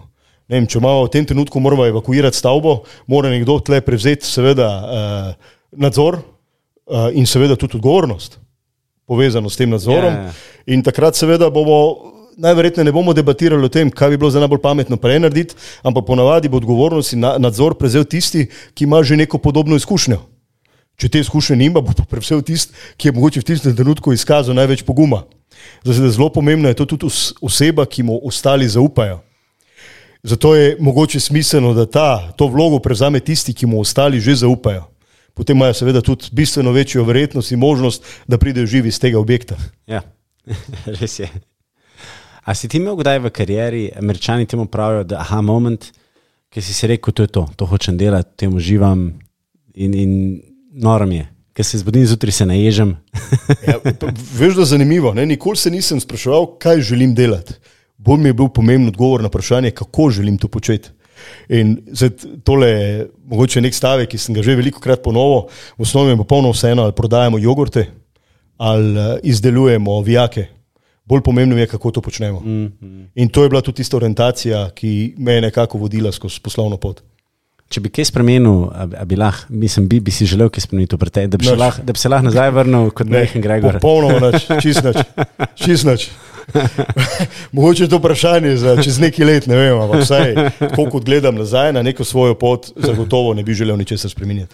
Ne vem, če imamo v tem trenutku moramo evakuirati stavbo, mora nekdo tle prevzeti seveda uh, nadzor uh, in seveda tudi odgovornost povezano s tem nadzorom. Yeah. In takrat seveda bomo, najverjetneje ne bomo debatirali o tem, kaj bi bilo za najbolj pametno prej narediti, ampak ponavadi bo odgovornost in nadzor prevzel tisti, ki ima že neko podobno izkušnjo. Če te izkušnje nima, bo prevzel tisti, ki je mogoče v tistem trenutku izkazal največ poguma. Zdaj, zelo pomembno je to tudi oseba, ki mu ostali zaupajo. Zato je mogoče smiselno, da ta, to vlogo prevzame tisti, ki mu ostali že zaupajo. Potem imajo seveda tudi bistveno večjo verjetnost in možnost, da pridejo živi iz tega objekta. Ja, res je. A si ti imel kdaj v karieri, Američani temu pravijo, da aha moment, ki si si rekel, to je to, to hočem delati, temu uživam in, in norom je, ker se zbudim zjutraj, se naježem. Ja, veš, da je zanimivo, ne? Nikoli se nisem spraševal, kaj želim delati. Bolj mi je bil pomemben odgovor na vprašanje, kako želim to početi. In zdaj tole je mogoče nek stavek, ki sem ga že veliko krat ponovil, v osnovi je popolno vseeno, ali prodajamo jogurte, ali izdelujemo vijake. bolj pomembno je, kako to počnemo. Mm, mm. In to je bila tudi tista orientacija, ki me je nekako vodila skozi poslovno pot. Če bi kaj spremenil, a bi, lah, mislim, bi, bi si želel kaj spremeniti v preteklosti, da bi se lahko lah, lah nazaj vrnil kot Mehan Gregor. Popolnoma nič, čist nič, čist nič. Mogoče je to vprašanje za čez nekaj let, ne vem, ampak vsaj, tako kot gledam nazaj na neko svojo pot, zagotovo ne bi želel ničesar spremeniti.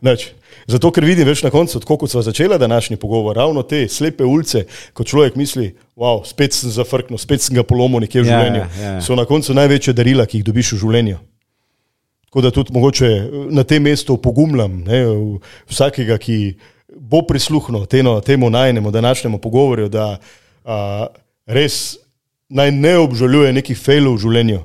Nič. Zato, ker vidim več na koncu, tako kot sva začela današnji pogovor, ravno te slepe ulice, ko človek misli, wow, spet sem zafrknil, spet sem ga polomil nekje v življenju, ja, ja. So na koncu največje darila, ki jih dobiš v življenju. Tako da tudi mogoče na tem mestu pogumljam ne, vsakega, ki bo prisluhnil teno, temu najnemu današnjemu pogovorju, da a, res naj ne obžaluje nekih failov v življenju,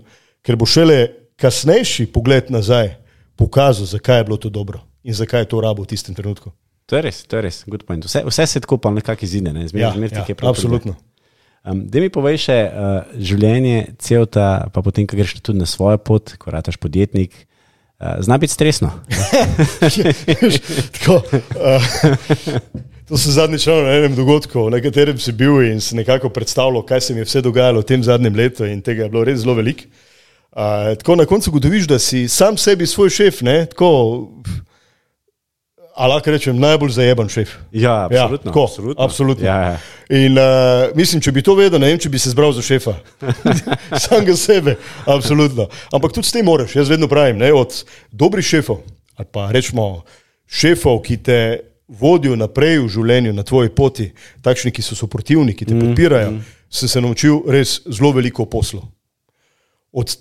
ker bo šele kasnejši pogled nazaj pokazal, zakaj je bilo to dobro in zakaj je to rabo v tistem trenutku. To je res, to je res, good point. Vse, vse se tako pa nekako izide, ne? Zmer, ja, zmer ja, je prav. Absolutno. Um, da mi povej še uh, življenje celota, pa potem, ko greš tudi na svojo pot, ko rataš podjetnik, uh, zna biti stresno. Tako, uh, to sem zadnjič na enem dogodku, na katerem si bil in si nekako predstavljal, kaj se mi je vse dogajalo v tem zadnjem letu in tega je bilo res zelo veliko. Uh, tako na koncu gotoviš, da si sam sebi svoj šef, ne, tako, a lahko rečem, najbolj zajeban šef. Ja, absolutno. Ja, tako, absolutno. absolutno. Ja, ja. In uh, mislim, če bi to vedel, ne vem, če bi se zbral za šefa. Sam ga sebe, absolutno. Ampak tudi s tem moraš, jaz vedno pravim, ne, od dobrih šefov, ali pa rečemo šefov, ki te vodijo naprej v življenju, na tvoji poti, takšni, ki so suportivni, ki te mm, podpirajo, mm. sem se naučil res zelo veliko poslu. Od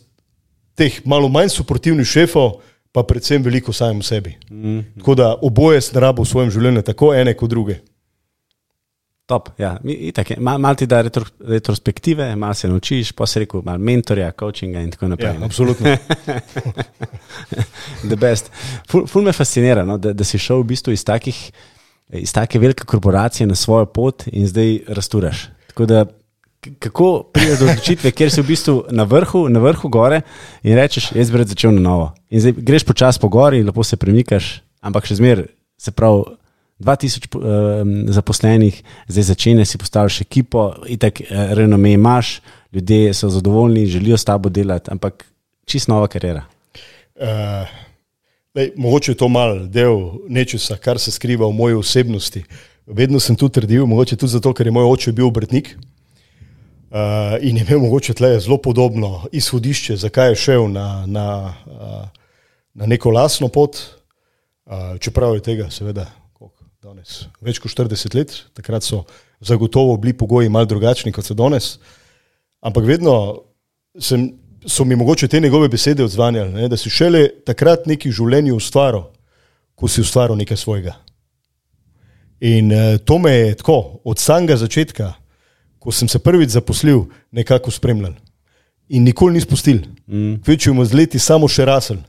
teh malo manj suportivnih šefov, pa predvsem veliko samem sebi. Mm. Tako da oboje sem rabo v svojem življenju, tako ene kot druge. Top, ja. Itak, mal, mal ti da retro, retrospektive, mal se naučiš, pa si rekel, mal mentorja, coachinga in tako naprej. Ja, absolutno. The best. Ful, ful me fascinira, no, da, da si šel v bistvu iz takih, iz take velike korporacije na svojo pot in zdaj rasturaš. Tako da kako prideš do odločitve, kjer si v bistvu na vrhu, na vrhu gore in rečeš, jaz bi rad začel na novo. In zdaj greš počas po gori, lepo se premikaš, ampak še zmer, se pravi, dva tisoč um, zaposlenih, zdaj začenjaš, si postaviš ekipo, itak renome imaš, ljudje so zadovoljni, želijo s tabo delati, ampak čisto nova kariera. Uh, lej, mogoče je to mal del nečesa, kar se skriva v moji osebnosti. Vedno sem tu trdil, mogoče tudi zato, ker je moj oče bil obrtnik. Uh, in je imel mogoče tle zelo podobno izhodišče, zakaj je šel na, na, uh, na neko lastno pot, uh, čeprav je tega seveda danes več kot štirideset let, takrat so zagotovo bili pogoji malo drugačni, kot so danes, ampak vedno sem, so mi mogoče te njegove besede odzvanjali, ne, da si šele takrat nekaj v življenju ustvaril, ko si ustvaril nekaj svojega. In uh, to me je tako, od samega začetka, ko sem se prvič zaposlil, nekako spremljal. In nikoli ni spustil. Mm. Kvečujemo z leti samo še rasel.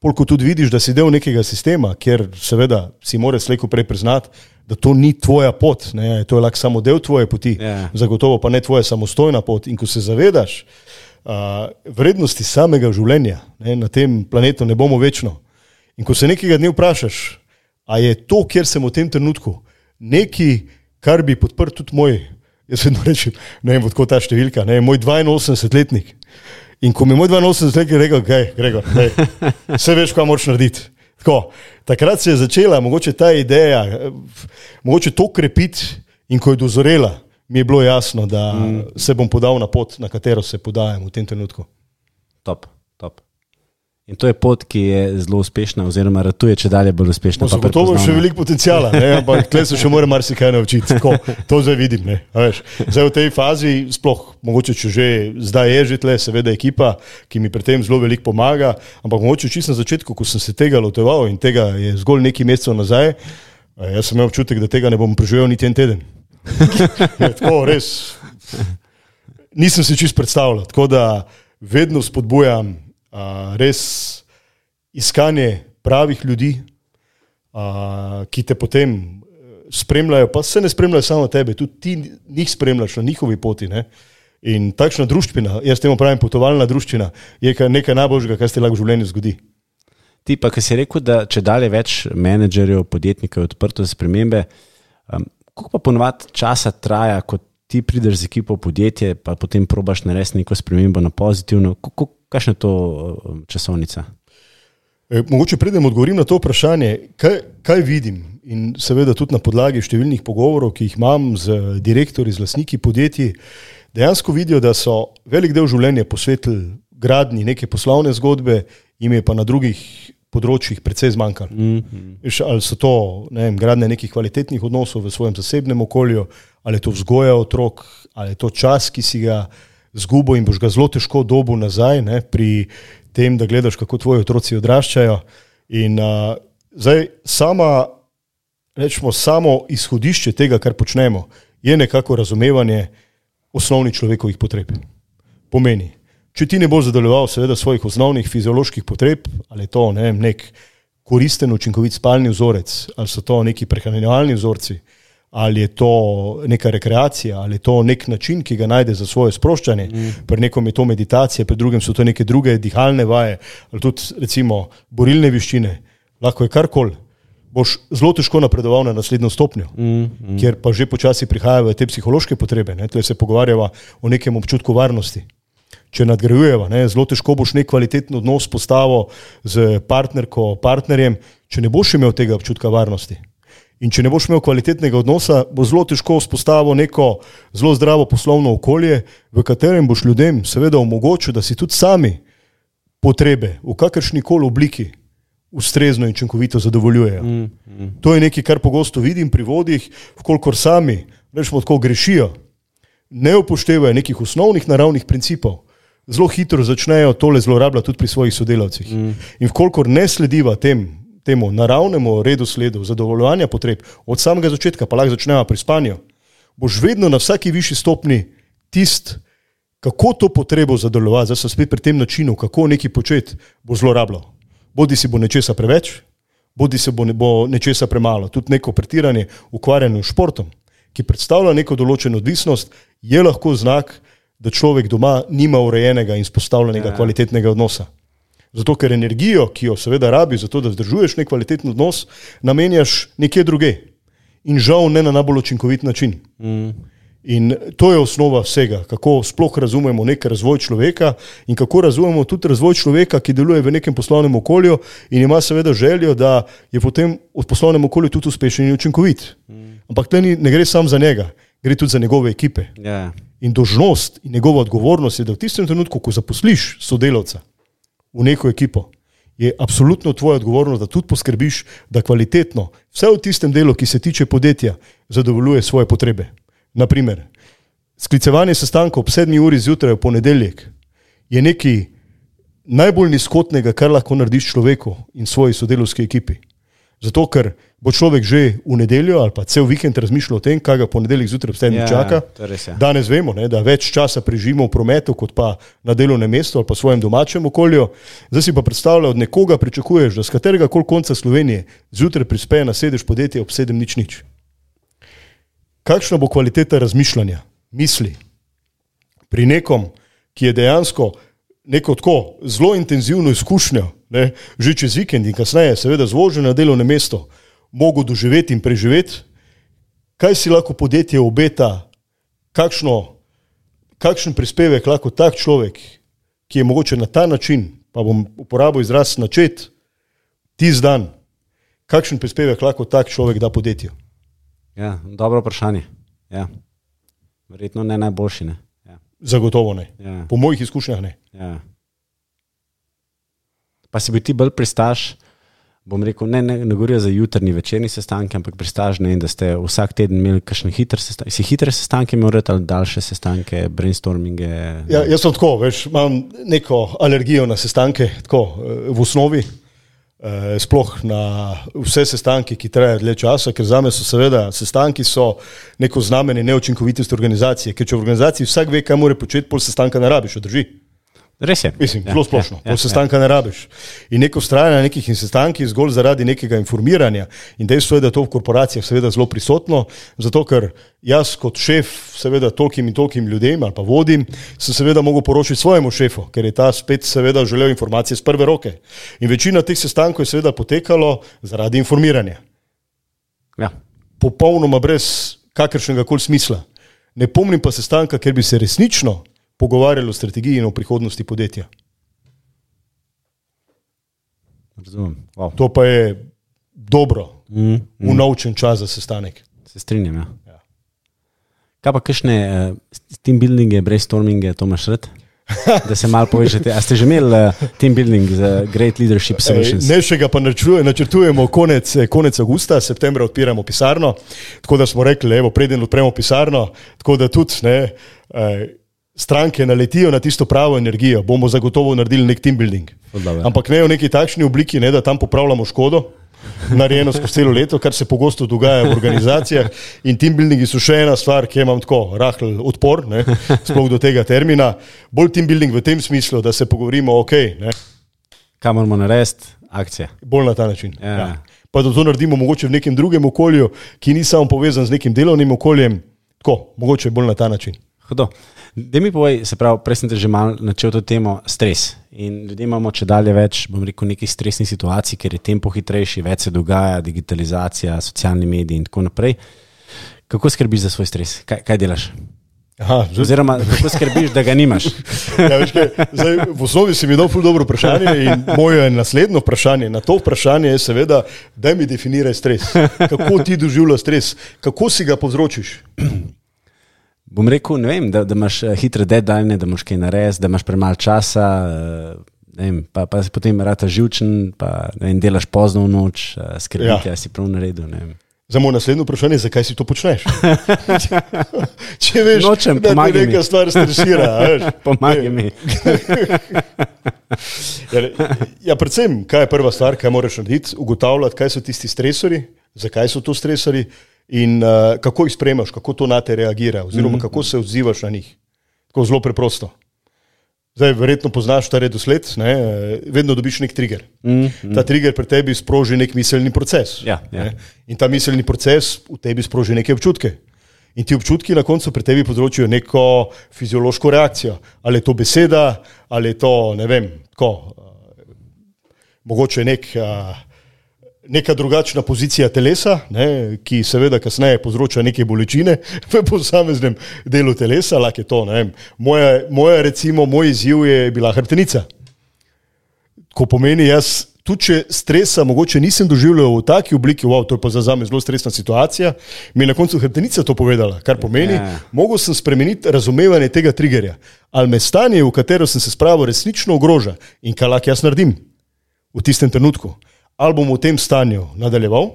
Polko tudi vidiš, da si del nekega sistema, kjer seveda si moraš slejko prej priznati, da to ni tvoja pot. Ne? To je lahko samo del tvoje poti. Yeah. Zagotovo pa ne tvoja samostojna pot. In ko se zavedaš uh, vrednosti samega življenja, ne? Na tem planetu ne bomo večno. In ko se nekega dne vprašaš, a je to, kjer sem v tem trenutku, nekaj, kar bi podprl tudi moj, jaz vedno rečem, ne vem, odko ta številka, ne, moj dvainosemdesetletnik. In ko mi je moj dvainosemdesetletnik rekel, kaj, Gregor, vse veš, kaj moraš narediti. Tako, takrat se je začela mogoče ta ideja, mogoče to krepiti in ko je dozorela, mi je bilo jasno, da mm. se bom podal na pot, na katero se podajam v tem trenutku. Top, top. In to je pot, ki je zelo uspešna, oziroma ratuje, če dalje bolj uspešna. No, zagotovo je še veliko potencijala, ne? Ampak tle se še mora marsikaj naučiti. Tako, to zdaj vidim. Ne? Veš, zdaj v tej fazi, sploh mogoče, če že zdaj je že tle, seveda ekipa, ki mi pri tem zelo veliko pomaga, ampak mogoče čisto na začetku, ko sem se tega loteval in tega je zgolj nekaj mesecev nazaj, jaz sem imel občutek, da tega ne bom preživel niti en teden. Je, tako, res. Nisem si čisto predstavljal, tako da vedno spodbujam Uh, res iskanje pravih ljudi, uh, ki te potem spremljajo, pa se ne spremljajo samo tebe, tudi ti njih spremljaš na njihovi poti. Ne? In takšna druščina, jaz temu pravim potovalna druščina, je nekaj najboljšega, kar se lahko v življenju zgodi. Ti pa, ki si rekel, da če dalje več menedžerjev, podjetnikov je odprto za spremembe, um, koliko pa ponovadi časa traja, kot ti prideš z ekipo v podjetje, pa potem probaš narediti neko spremembo na pozitivno. Kakšna je to časovnica? E, mogoče predem odgovorim na to vprašanje, kaj, kaj vidim in seveda tudi na podlagi številnih pogovorov, ki jih imam z direktorji, z lastniki podjetij, dejansko vidijo, da so velik del življenja posvetili gradnji neke poslovne zgodbe, jim je pa na drugih področjih precej zmanjkalo. Mm-hmm. Ali so to ne vem, gradnje nekih kvalitetnih odnosov v svojem zasebnem okolju, ali je to vzgoja otrok, ali je to čas, ki si ga zgubo in boš ga zelo težko dobil nazaj, ne, pri tem, da gledaš, kako tvoji otroci odraščajo. In uh, zdaj sama, rečemo, samo izhodišče tega, kar počnemo, je nekako razumevanje osnovnih človekovih potreb. Pomeni, če ti ne boš zadovoljeval seveda svojih osnovnih fizioloških potreb, ali je to ne vem, nek koristen, učinkovit spalni vzorec, ali so to neki prehranjevalni vzorci, ali je to neka rekreacija, ali je to nek način, ki ga najde za svoje sproščanje, mm. pri nekom je to meditacija, pri drugem so to neke druge dihalne vaje, ali tudi recimo borilne veščine, lahko je karkoli, boš zelo težko napredoval na naslednjo stopnjo, mm. Mm. kjer pa že počasi prihajajo te psihološke potrebe, ne, tle se pogovarjava o nekem občutku varnosti. Če nadgrajujeva, ne, zelo težko boš nek kvaliteten odnos postavil z partnerko, partnerjem, če ne boš imel tega občutka varnosti. In če ne boš imel kvalitetnega odnosa, bo zelo težko vzpostavil neko zelo zdravo poslovno okolje, v katerem boš ljudem seveda omogočil, da si tudi sami potrebe v kakršnikoli obliki ustrezno in učinkovito zadovoljujejo. Mm, mm. To je nekaj, kar pogosto vidim pri vodih, vkolikor sami, rečemo tako, grešijo, ne upoštevajo nekih osnovnih naravnih principov, zelo hitro začnejo tole zlorabljati tudi pri svojih sodelavcih. Mm. In vkolikor ne slediva tem, temu naravnemu redu sledu zadovoljevanja potreb od samega začetka, pa lahko začneva pri spanju, boš vedno na vsaki višji stopni tist, kako to potrebo zadovoljevati, zdaj sem spet pri tem načinu, kako nekaj početi, bo zlorabljal. Bodi si bo nečesa preveč, bodi si bo, ne, bo nečesa premalo. Tudi neko pretiranje ukvarjanje s športom, ki predstavlja neko določeno odvisnost, je lahko znak, da človek doma nima urejenega in spostavljenega ja. kvalitetnega odnosa. Zato, ker energijo, ki jo seveda rabi, zato da vzdržuješ nek kvaliteten odnos, namenjaš nekje druge. In žal ne na najbolj učinkovit način. Mm. In to je osnova vsega, kako sploh razumemo nek razvoj človeka in kako razumemo tudi razvoj človeka, ki deluje v nekem poslovnem okolju in ima seveda željo, da je potem v poslovnem okolju tudi uspešen in učinkovit. Mm. Ampak tle ne gre sam za njega, gre tudi za njegove ekipe. Yeah. In dolžnost in njegova odgovornost je, da v tistem trenutku, ko zaposliš sodelavca v neko ekipo, je absolutno tvoja odgovornost, da tudi poskrbiš, da kvalitetno, vse v tistem delu, ki se tiče podjetja, zadovoljuje svoje potrebe. Naprimer, sklicevanje sestankov ob sedmi uri zjutraj v ponedeljek je nekaj najbolj nizkotnega, kar lahko narediš človeku in svoji sodelavski ekipi. Zato, ker bo človek že v nedeljo ali pa cel vikend razmišljal o tem, kaj ga ponedeljek zjutraj ob sedmih čaka. Ja, danes vemo, ne, da več časa preživimo v prometu, kot pa na delovnem mestu ali pa v svojem domačem okolju. Zdaj si pa predstavlja, od nekoga pričakuješ, da z katerega koli konca Slovenije zjutraj prispe na sedež podjetja ob sedem nič nič. Kakšna bo kvaliteta razmišljanja, misli pri nekom, ki je dejansko neko tako zelo intenzivno izkušnjo, ne, že čez vikend in kasneje, seveda zvožen na delovno mesto, mogo doživeti in preživeti, kaj si lahko podjetje obeta, kakšno, kakšen prispevek lahko tak človek, ki je mogoče na ta način, pa bom uporabil izraz načet, tisti dan, kakšen prispevek lahko tak človek da podjetju. Ja, dobro vprašanje. Ja. Verjetno ne najboljši, ne. Ja. Zagotovo ne. Ja. Po mojih izkušnjah ne. Ja. Pa si bi ti bolj pristaš, bom rekel, ne, ne, ne govorijo za jutrni večerni sestanke, ampak pristaš, ne, da ste vsak teden imeli kakšne hitre sestanke. Si hitre sestanke imel ali daljše sestanke, brainstorminge? Ja, jaz sem tako, veš, imam neko alergijo na sestanke, tako v osnovi, eh, sploh na vse sestanke, ki trajajo dlje časa, ker zame so seveda sestanki so neko znamenje neučinkovitosti organizacije, ker če v organizaciji vsak ve, kaj mora početi, pol sestanka ne rabiš, drži. Res je. Mislim, ja, zelo splošno, ja, ja, sestanka ja. ne rabiš. In neko vztrajanje na nekih sestankih zgolj zaradi nekega informiranja in dejstvo je, da to v korporacijah seveda zelo prisotno, zato ker jaz kot šef seveda tolkim in tolkim ljudem ali pa vodim, sem seveda mogel poročiti svojemu šefu, ker je ta spet seveda želel informacije z prve roke. In večina teh sestankov je seveda potekalo zaradi informiranja. Ja. Popolnoma brez kakršnega koli smisla. Ne pomnim pa sestanka, ker bi se resnično pogovarjali o strategiji in o prihodnosti podjetja. Razumem. Wow. To pa je dobro, mm, mm. unovčen čas za sestanek. Se strinjam, ja. ja. Kaj pa kakšne uh, team buildinge, brainstorminge, to imaš rad? Da se malo povežete. A ste že imeli uh, team building za Great Leadership Solutions? Ne, še ga pa načrtujemo konec, konec augusta, septembra odpiramo pisarno, tako da smo rekli, evo, preden odpremo pisarno, tako da tudi ne, eh, stranke naletijo na tisto pravo energijo, bomo zagotovo naredili nek team building. Ampak ne v neki takšni obliki, ne, da tam popravljamo škodo, narejeno skozi celo leto, kar se pogosto dogaja v organizacijah, in team buildingi so še ena stvar, ki imam tako rahl odpor, ne, sploh do tega termina. Bolj team building v tem smislu, da se pogovorimo, ok, ne. Kaj moramo narediti? Akcija. Bolj na ta način. Ja. Ja. Pa da to naredimo mogoče v nekem drugem okolju, ki ni samo povezan z nekim delovnim okoljem, tako, mogoče bolj na ta način. Hudo. Da mi povej, se pravi, prej sem te že malo načel to temo stres. In ljudje imamo če dalje več, bom rekel, nekih stresnih situacij, ker je tempo hitrejši, več se dogaja, digitalizacija, socialni mediji in tako naprej. Kako skrbiš za svoj stres? Kaj, kaj delaš? Aha, že... Oziroma, kako skrbiš, da ga nimaš? Ja, veš kaj, zdaj, v osnovi si mi dal ful dobro vprašanje in moje naslednjo vprašanje na to vprašanje je seveda, daj mi definiraj stres. Kako ti doživljaš stres? Kako si ga povzročiš? Bom rekel, ne vem, da, da imaš hitre deadline, da moraš kaj narediti, da imaš premalo časa, ne vem, pa, pa si potem rata živčen, pa ne vem, delaš pozno v noč, skrbiti, ja. Si prav naredil, ne vem. Za moje naslednjo vprašanje, zakaj si to počneš? Če veš, Nočem, da ti neka stvar stresira. Pomagaj mi. ja, ja, predvsem, kaj je prva stvar, kaj moraš narediti, ugotavljati, kaj so tisti stresori, zakaj so to stresori, in uh, kako jih sprejmaš, kako to na te reagira, oziroma mm-hmm. kako se odzivaš na njih. Tako zelo preprosto. Zdaj, verjetno poznaš ta redosled, ne? Vedno dobiš nek trigger. Mm-hmm. Ta trigger pri tebi sproži nek miselni proces. Ja, ja. In ta miselni proces v tebi sproži neke občutke. In ti občutki na koncu pri tebi področijo neko fiziološko reakcijo. Ali je to beseda, ali je to, ne vem, tako, uh, mogoče nek... Uh, neka drugačna pozicija telesa, ne, ki seveda kasneje povzroča neke bolečine v posameznem delu telesa, lahko je to, ne vem. Moja, moja recimo, moj izziv je bila hrbtenica. Ko pomeni, jaz tudi če stresa mogoče nisem doživljal v taki obliki, wow, to je pa za zame zelo stresna situacija, mi je na koncu hrbtenica to povedala, kar pomeni, yeah. mogel sem spremeniti razumevanje tega triggerja. Ali me stanje, v katero sem se spravil, resnično ogroža in kaj lahko jaz naredim v tistem trenutku. Ali bom v tem stanju nadaljeval.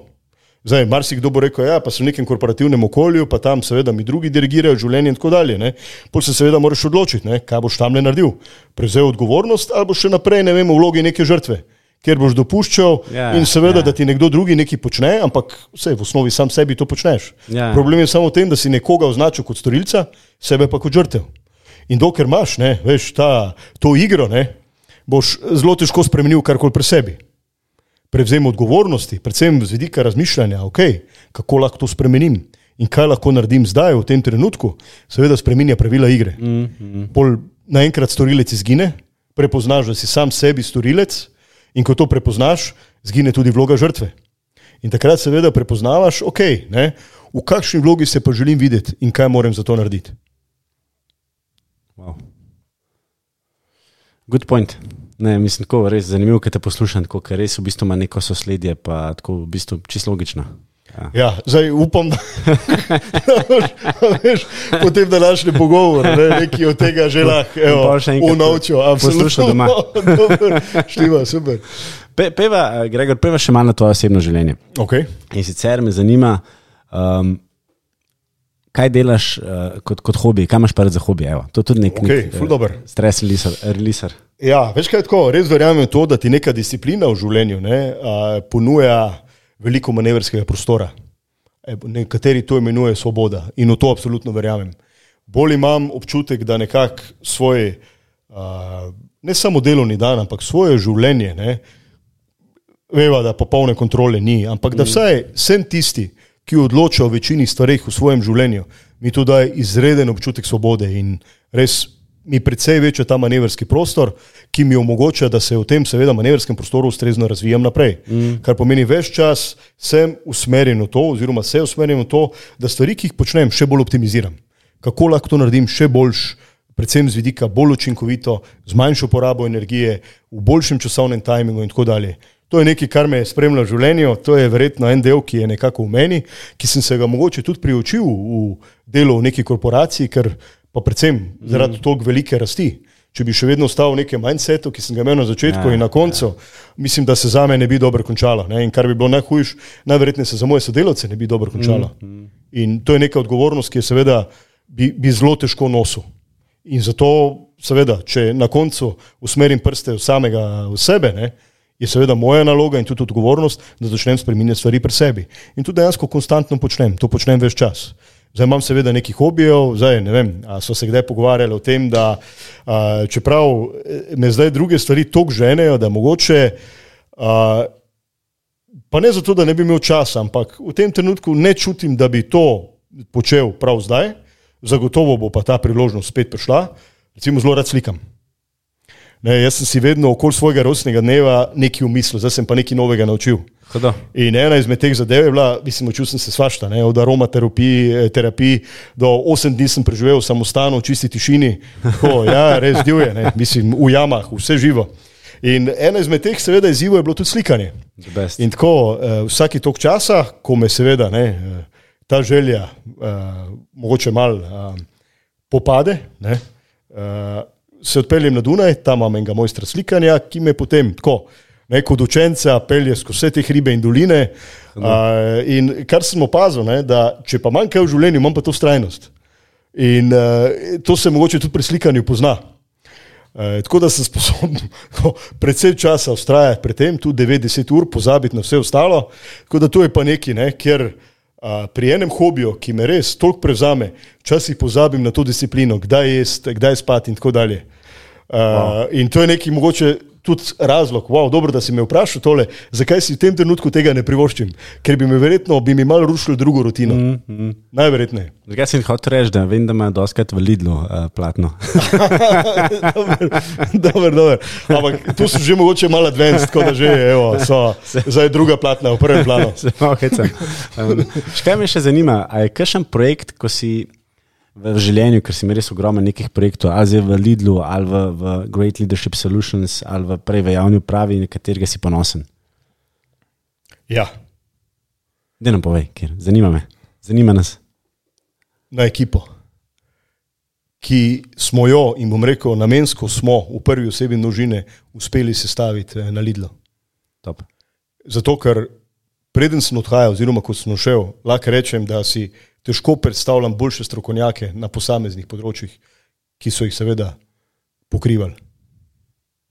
Zdaj, marsikdo bo rekel, ja, pa sem v nekem korporativnem okolju, pa tam seveda mi drugi dirigirajo življenje in tako dalje. Ne. Potem se seveda moraš odločiti, ne, kaj boš tam naredil. Prevzel odgovornost ali boš še naprej, ne vem, v vlogi neke žrtve, kjer boš dopuščal ja, in seveda, ja. Da ti nekdo drugi nekaj počne, ampak vse v osnovi sam sebi to počneš. Ja. Problem je samo v tem, da si nekoga označil kot storilca, sebe pa kot žrtev. In dokler imaš, ne, veš, ta, to igro, ne, boš zelo težko spremenil karkoli pri sebi. Prevzem odgovornosti, predvsem z vidika razmišljanja, okay, kako lahko to spremenim in kaj lahko naredim zdaj, v tem trenutku, seveda spreminja pravila igre. Mm-hmm. Pol naenkrat storilec izgine, prepoznaš, da si sam sebi storilec in ko to prepoznaš, izgine tudi vloga žrtve. In takrat seveda prepoznavaš, ok, ne, v kakšni vlogi se pa želim videti in kaj moram za to narediti. Wow. Good point. Ne, mislim, tako res zanimivo, kad te poslušam, tako, ker res v bistvu ima neko sosledje, pa tako v bistvu čisto logično. Ja, ja zdaj upam, da, da veš, potem današnji pogovor, ne, neki od tega že lahko, evo, unovčil, poslušal doma. Dobar, štima, super. Pe, peva, Gregor, peva še malo na tvoje osebno življenje. Okay. In sicer me zanima, um, kaj delaš uh, kot, kot hobi, kaj imaš pa za hobi, evo, to je tudi nek, okay, nek uh, stres releaser. Ja, veš kaj je tako, res verjamem to, da ti neka disciplina v življenju ne, uh, ponuja veliko manevrskega prostora. E, nekateri to imenuje svoboda in v to absolutno verjamem. Bolj imam občutek, da nekako svoj, uh, ne samo delovni dan, ampak svoje življenje, ne, veva, da popolne kontrole ni, ampak da vsaj sem tisti, ki odloča o večini stvareh v svojem življenju, mi to daje izreden občutek svobode in res mi precej večja ta manevrski prostor, ki mi omogoča, da se v tem seveda manevrskem prostoru ustrezno razvijam naprej. Mm. Kar pomeni ves čas sem usmerjen v to, oziroma se usmerjen v to, da stvari, ki jih počnem, še bolj optimiziram. kako lahko to naredim še boljš, predvsem z vidika bolj učinkovito, z manjšo porabo energije, v boljšem časovnem tajmingu in tako dalje. To je nekaj, kar me je spremljalo v življenju, to je verjetno en del, ki je nekako v meni, ki sem se ga mogoče tudi priučil v delu v neki korporaciji, ker pa predvsem zaradi toliko velike rasti. Če bi še vedno ostal v nekem mindsetu, ki sem ga imel na začetku ja, in na koncu, ja. mislim, da se za me ne bi dobro končalo. Ne? In kar bi bilo najhujš, najverjetneje se za moje sodelavce ne bi dobro končalo. Mm, mm. In to je neka odgovornost, ki je seveda bi, bi zelo težko nosil. In zato seveda, če na koncu usmerim prste v samega v sebe, ne, je seveda moja naloga in tudi odgovornost, da začnem spreminjati stvari pri sebi. In to dejansko konstantno počnem, to počnem ves čas. Zdaj imam seveda nekih hobijev, zdaj ne vem, a so se kdaj pogovarjali o tem, da a, čeprav me zdaj druge stvari toliko ženejo, da mogoče, a, pa ne zato, da ne bi imel časa, ampak v tem trenutku ne čutim, da bi to počel prav zdaj, zagotovo bo pa ta priložnost spet prišla, recimo zelo rad slikam. Ne, jaz sem si vedno okoli svojega rojstnega dneva nekaj umislil, zdaj sem pa nekaj novega naučil. Kada? In ena izmed teh zadev je bila, mislim, učil sem se svašta, ne, od aromaterapiji terapiji, do osem dni sem preživel v samostanu, v čisti tišini, tako, ja, res divje, ne, mislim, v jamah, vse živo. In ena izmed teh seveda izzivov je bilo tudi slikanje. In tako, vsaki tok časa, ko me seveda ne, ta želja mogoče malo popade, ne, se odpeljem na Dunaj, tam imam enega mojstra slikanja, ki me potem tako, ne, kot učenca pelje skozi vse te hribe in doline. Uh, in kar sem opazil, ne, da če pa manj kaj v življenju, imam pa to vztrajnost. In uh, to se mogoče tudi pri slikanju pozna. Uh, tako da sem sposoben predvsej časa vztrajati pri tem, tudi devet do deset ur, pozabiti na vse ostalo. Tako da to je pa nekaj, ne, kjer uh, pri enem hobiju, ki me res toliko prevzame, včasih pozabim na to disciplino, kdaj jesti, kdaj spati in tako dalje. Uh, wow. In to je neki mogoče tudi razlog, wow, dobro, da si me vprašal tole, zakaj si v tem trenutku tega ne privoščim, ker bi me verjetno, bi mi malo rušilo drugo rutino. Mm, mm. Najverjetneje. Zakaj si hotel reči, da vem, da ima doskrat v Lidlu uh, platno. Dober, dober. Ampak tu so že mogoče malo advanced, tako da že, evo, so zdaj druga platna v prvem planu. Se malo hecam. Um, škaj me še zanima, a je kakšen projekt, ko si v življenju, ker si mi res ogromen nekih projektov, ali zdaj v Lidlu, ali v, v Great Leadership Solutions, ali v prej v javni upravi, na katerega si ponosen? Ja. Daj nam povej, ker zanima me. Zanima nas. Na ekipo, ki smo jo, in bom rekel, namensko smo v prvi osebi množine uspeli sestaviti na Lidlu. Top. Zato, ker preden sem odhajal, oziroma ko sem šel, lahko rečem, da si težko predstavljam boljše strokovnjake na posameznih področjih, ki so jih seveda pokrivali.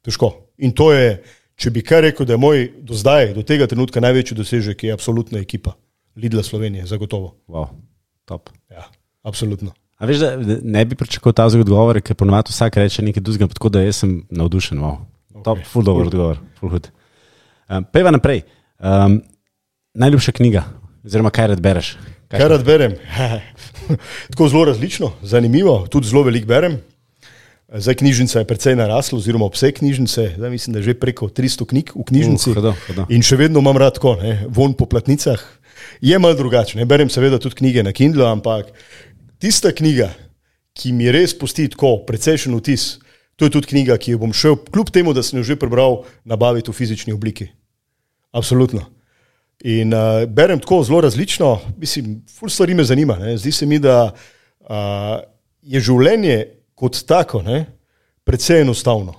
Težko. In to je, če bi kaj rekel, da je moj do zdaj, do tega trenutka največji dosežek, je absolutna ekipa Lidla Slovenije, zagotovo. Wow, top. Ja, absolutno. A veš, da ne bi pričakoval ta odgovor, ker ponovadi vsak reče nekaj drugega, tako da jaz sem navdušen. Wow. Okay. Top, ful dober odgovor. Ful hud. Um, Pejva naprej. Um, najljubša knjiga, oziroma kaj rad bereš? Kaj rad berem? Tako zelo različno, zanimivo, tudi zelo veliko berem. Zdaj knjižnica je precej narasla, oziroma obseg knjižnice, zdaj mislim, da je že preko tristo knjig v knjižnici. Uh, hodo, hodo. In še vedno imam rad tako, ne, von po platnicah. Je malo drugače, ne, berem seveda tudi knjige na Kindlu, ampak tista knjiga, ki mi res pusti tako precejšen vtis, to je tudi knjiga, ki jo bom šel, kljub temu, da sem jo že prebral, nabaviti v fizični obliki. Absolutno. In uh, berem tako zelo različno, mislim, ful stvari me zanima. Ne. Zdi se mi, da uh, je življenje kot tako, ne, precej enostavno.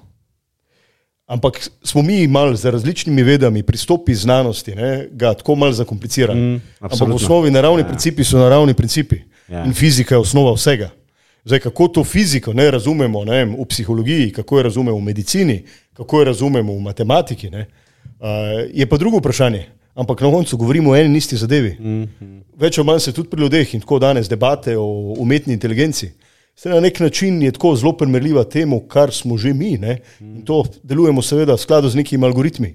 Ampak smo mi malo z različnimi vedami, pristopi znanosti, ne, ga tako malo zakomplicirali. Mm, ampak v osnovi naravni ja. principi so naravni principi. Ja. In fizika je osnova vsega. Zdaj, kako to fiziko ne, razumemo ne, v psihologiji, kako jo razumemo v medicini, kako jo razumemo v matematiki, ne, uh, je pa drugo vprašanje. Ampak na koncu govorimo o eni in isti zadevi. Mm-hmm. Več ali manj se tudi pri ljudeh in tako danes debate o umetni inteligenci. Se na nek način je tako zelo primerljiva temu, kar smo že mi. Ne? In to delujemo seveda v skladu z nekimi algoritmi,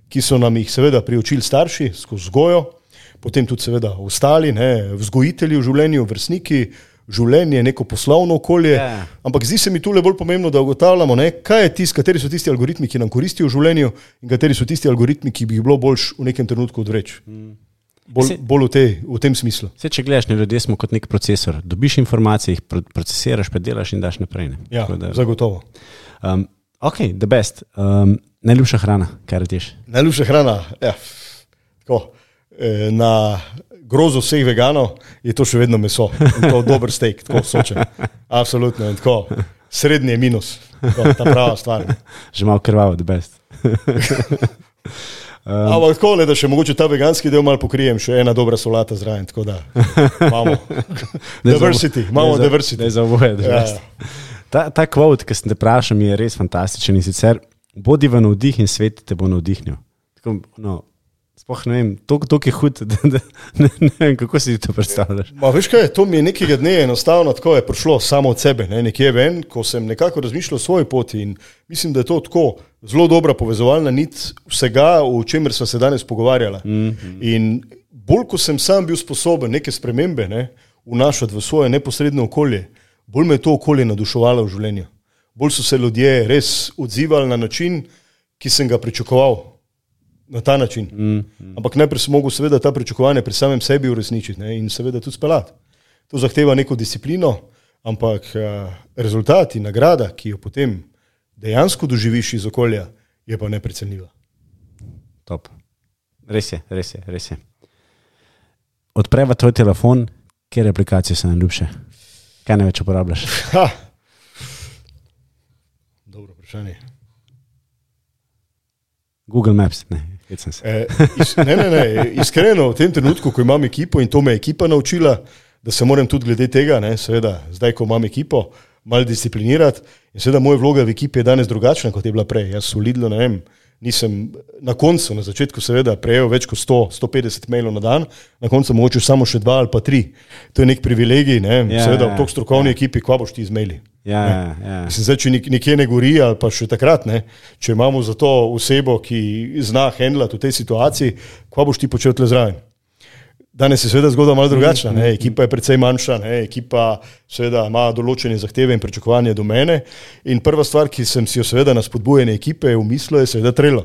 ki so nam jih seveda priučili starši skozi vzgojo, potem tudi seveda ostali, ne? Vzgojitelji v življenju, vrstniki, življenje, neko poslovno okolje. Yeah. Ampak zdi se mi tule bolj pomembno, da ugotavljamo, ne, kaj je tist, kateri so tisti algoritmi, ki nam koristijo v življenju in kateri so tisti algoritmi, ki bi jih bilo boljš v nekem trenutku odvreči. Mm. Bolj, bolj v, te, v tem smislu. Vse, če gledaš, ne, ljudje smo kot nek procesor. Dobiš informacije, jih procesiraš, predelaš in daš naprej. Ne? Ja, da, zagotovo. Um, ok, the best. Um, najljubša hrana, kaj rečeš? Najljubša hrana, ja, tako, eh, na grozo vseh veganov je to še vedno meso. In to dober steak, tako sočen. Absolutno. In tako, srednji je minus. Tako, ta prava stvar. Že malo krvavo, the best. Um, Ampak tako, le, da še mogoče ta veganski del malo pokrijem, še ena dobra solata zraven, tako da imamo diversity, imamo ne diversity. Ne za oboje, da ja. Ta, ta quote, ki sem te vprašal, je res fantastičen in sicer bodi v navdih in svet te bo navdihnil. Tako, no, spoh ne vem, to je hud, da, da, ne, ne vem, kako si to predstavljaš. Ma, veš kaj, to mi je nekega dne enostavno tako je prišlo samo od sebe, ne, nekje ven, ko sem nekako razmišljal o svoji poti in mislim, da je to tako zelo dobra povezovalna nit vsega, o čemer sva se danes pogovarjala. Mm-hmm. In bolj, ko sem sam bil sposoben neke spremembe ne, vnašati v svoje neposredno okolje, bolj me je to okolje naduševalo v življenju. Bolj so se ljudje res odzivali na način, ki sem ga pričakoval. Na ta način. Mm, mm. Ampak najprej sem mogel seveda ta pričakovanja pri samem sebi uresničiti ne, in seveda tudi speljati. To zahteva neko disciplino, ampak uh, rezultat in nagrada, ki jo potem dejansko doživiš iz okolja, je pa neprecenljiva. Top. Res je, res je, res je. Odpreva tvoj telefon, kjer aplikacije so najljubše? Kaj največ uporabljaš? Ha. Dobro vprašanje. Google Maps, ne. E, is, ne, ne, ne, iskreno v tem trenutku, ko imam ekipo in to me je ekipa naučila, da se moram tudi glede tega, ne, seveda, zdaj, ko imam ekipo, malo disciplinirati in seveda moja vloga v ekipi je danes drugačna, kot je bila prej. Jaz v Lidlu, ne vem, nisem na koncu, na začetku seveda prejel več kot sto, sto petdeset mailov na dan, na koncu mogoče samo še dva ali pa tri. To je nek privilegij, ne, ja, seveda v tok strokovni ja. ekipi, kva boš ti izmeli. Ja, ja. Mislim, zdaj, če nekje ne gori, ali pa še takrat, ne, če imamo za to osebo, ki zna handlati v tej situaciji, kva boš ti počel tle zraven. Danes je seveda zgodba malo drugačna, ne, ekipa je precej manjša, ne, ekipa seveda ima določene zahteve in pričakovanje do mene in prva stvar, ki sem si jo seveda na spodbujanje ekipe umislil, je seveda Trello.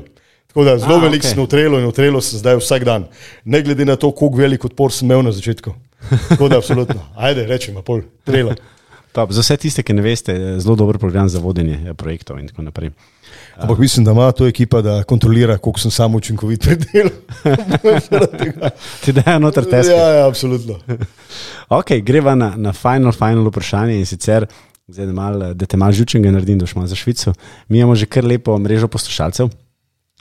Tako da zelo veliko okay. sem v Trello in v Trello sem zdaj vsak dan, ne glede na to, koliko velik odpor sem imel na začetku. Tako da absolutno, ajde, rečem, pol, Trello. Top. Za vse tiste, ki ne veste, zelo dober program za vodenje projektov in tako naprej. Ampak mislim, da ima to ekipa, da kontrolira, koliko sem sam učinkovit pri delu. Ti dajo noter teske. Ja, ja, absolutno. Ok, greva na, na final, final vprašanje in sicer, zdaj, da, mal, da te malo žučenega naredim, da šma za Švico. Mi imamo že kar lepo mrežo poslušalcev,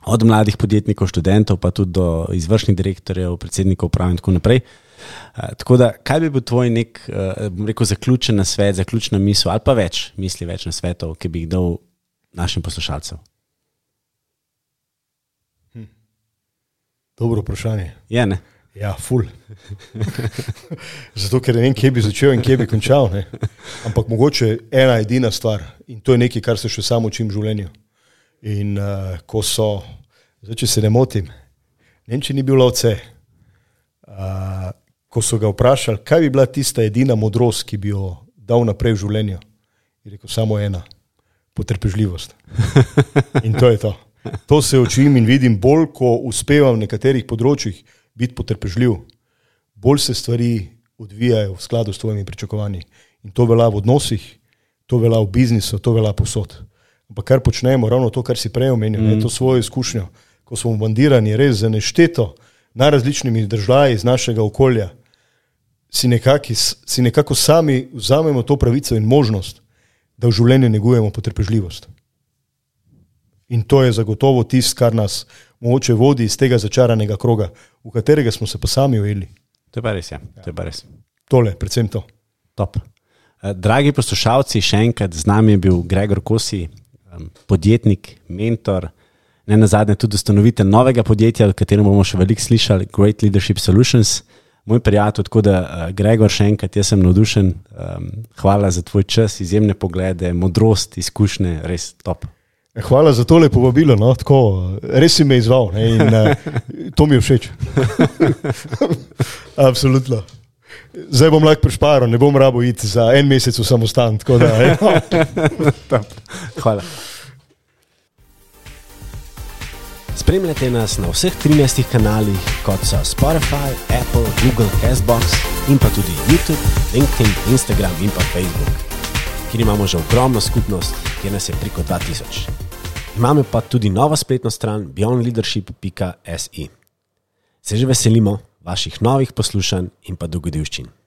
od mladih podjetnikov, študentov, pa tudi do izvršnih direktorjev, predsednikov uprav in tako naprej. Uh, tako da, kaj bi bil tvoj nek, uh, bom rekel, zaključen nasvet, zaključna misel ali pa več misli, več nasvetov, ki bi jih dal našim poslušalcem? Hm. Dobro vprašanje. Je, ne? Ja, ful. Zato, ker ne vem, kje bi začel in kje bi končal. Ne? Ampak mogoče ena edina stvar in to je nekaj, kar se še samo učim v življenju. In uh, ko so, zdaj, če se ne motim, Nemčija ni bil lovce, uh, ko so ga vprašali, kaj bi bila tista edina modrost, ki bi jo dal naprej v življenju, je rekel samo ena, potrpežljivost. In to je to. To se učim in vidim, bolj ko uspevam v nekaterih področjih biti potrpežljiv, bolj se stvari odvijajo v skladu s tvojimi pričakovanji. In to velja v odnosih, to velja v biznisu, to velja povsod. Ampak kar počnemo, ravno to, kar si prej omenil, mm. to svojo izkušnjo, ko smo bandirani res za nešteto najrazličnimi državi iz našega okolja, si, nekaki, si nekako sami vzamemo to pravico in možnost, da v življenju negujemo potrpežljivost. In to je zagotovo tist, kar nas mogoče vodi iz tega začaranega kroga, v katerega smo se pa sami ujeli. To je pa res, ja. To je pa res. Tole, predvsem to. Top. Dragi poslušalci, še enkrat z nami je bil Gregor Kosi, podjetnik, mentor, ne nazadnje tudi ustanovitelj novega podjetja, o katerem bomo še veliko slišali, Great Leadership Solutions. Moj prijatelj, tako da Gregor, še enkrat, jaz sem navdušen. Hvala za tvoj čas, izjemne poglede, modrost, izkušnje, res top. Hvala za tole povabilo, no, tako, res si me izval, ne, in uh, to mi je všeč. Absolutno. Zdaj bom lahko prišparal, ne bom rabo iti za en mesec v samostan, tako da. Hvala. Spremljajte nas na vseh trinajstih kanalih, kot so Spotify, Apple, Google, Castbox in pa tudi YouTube, LinkedIn, Instagram in pa Facebook, kjer imamo že ogromno skupnost, kjer nas je preko dva tisoč. Imamo pa tudi novo spletno stran beyond leadership pika si. Se že veselimo vaših novih poslušanj in pa dogodivščin.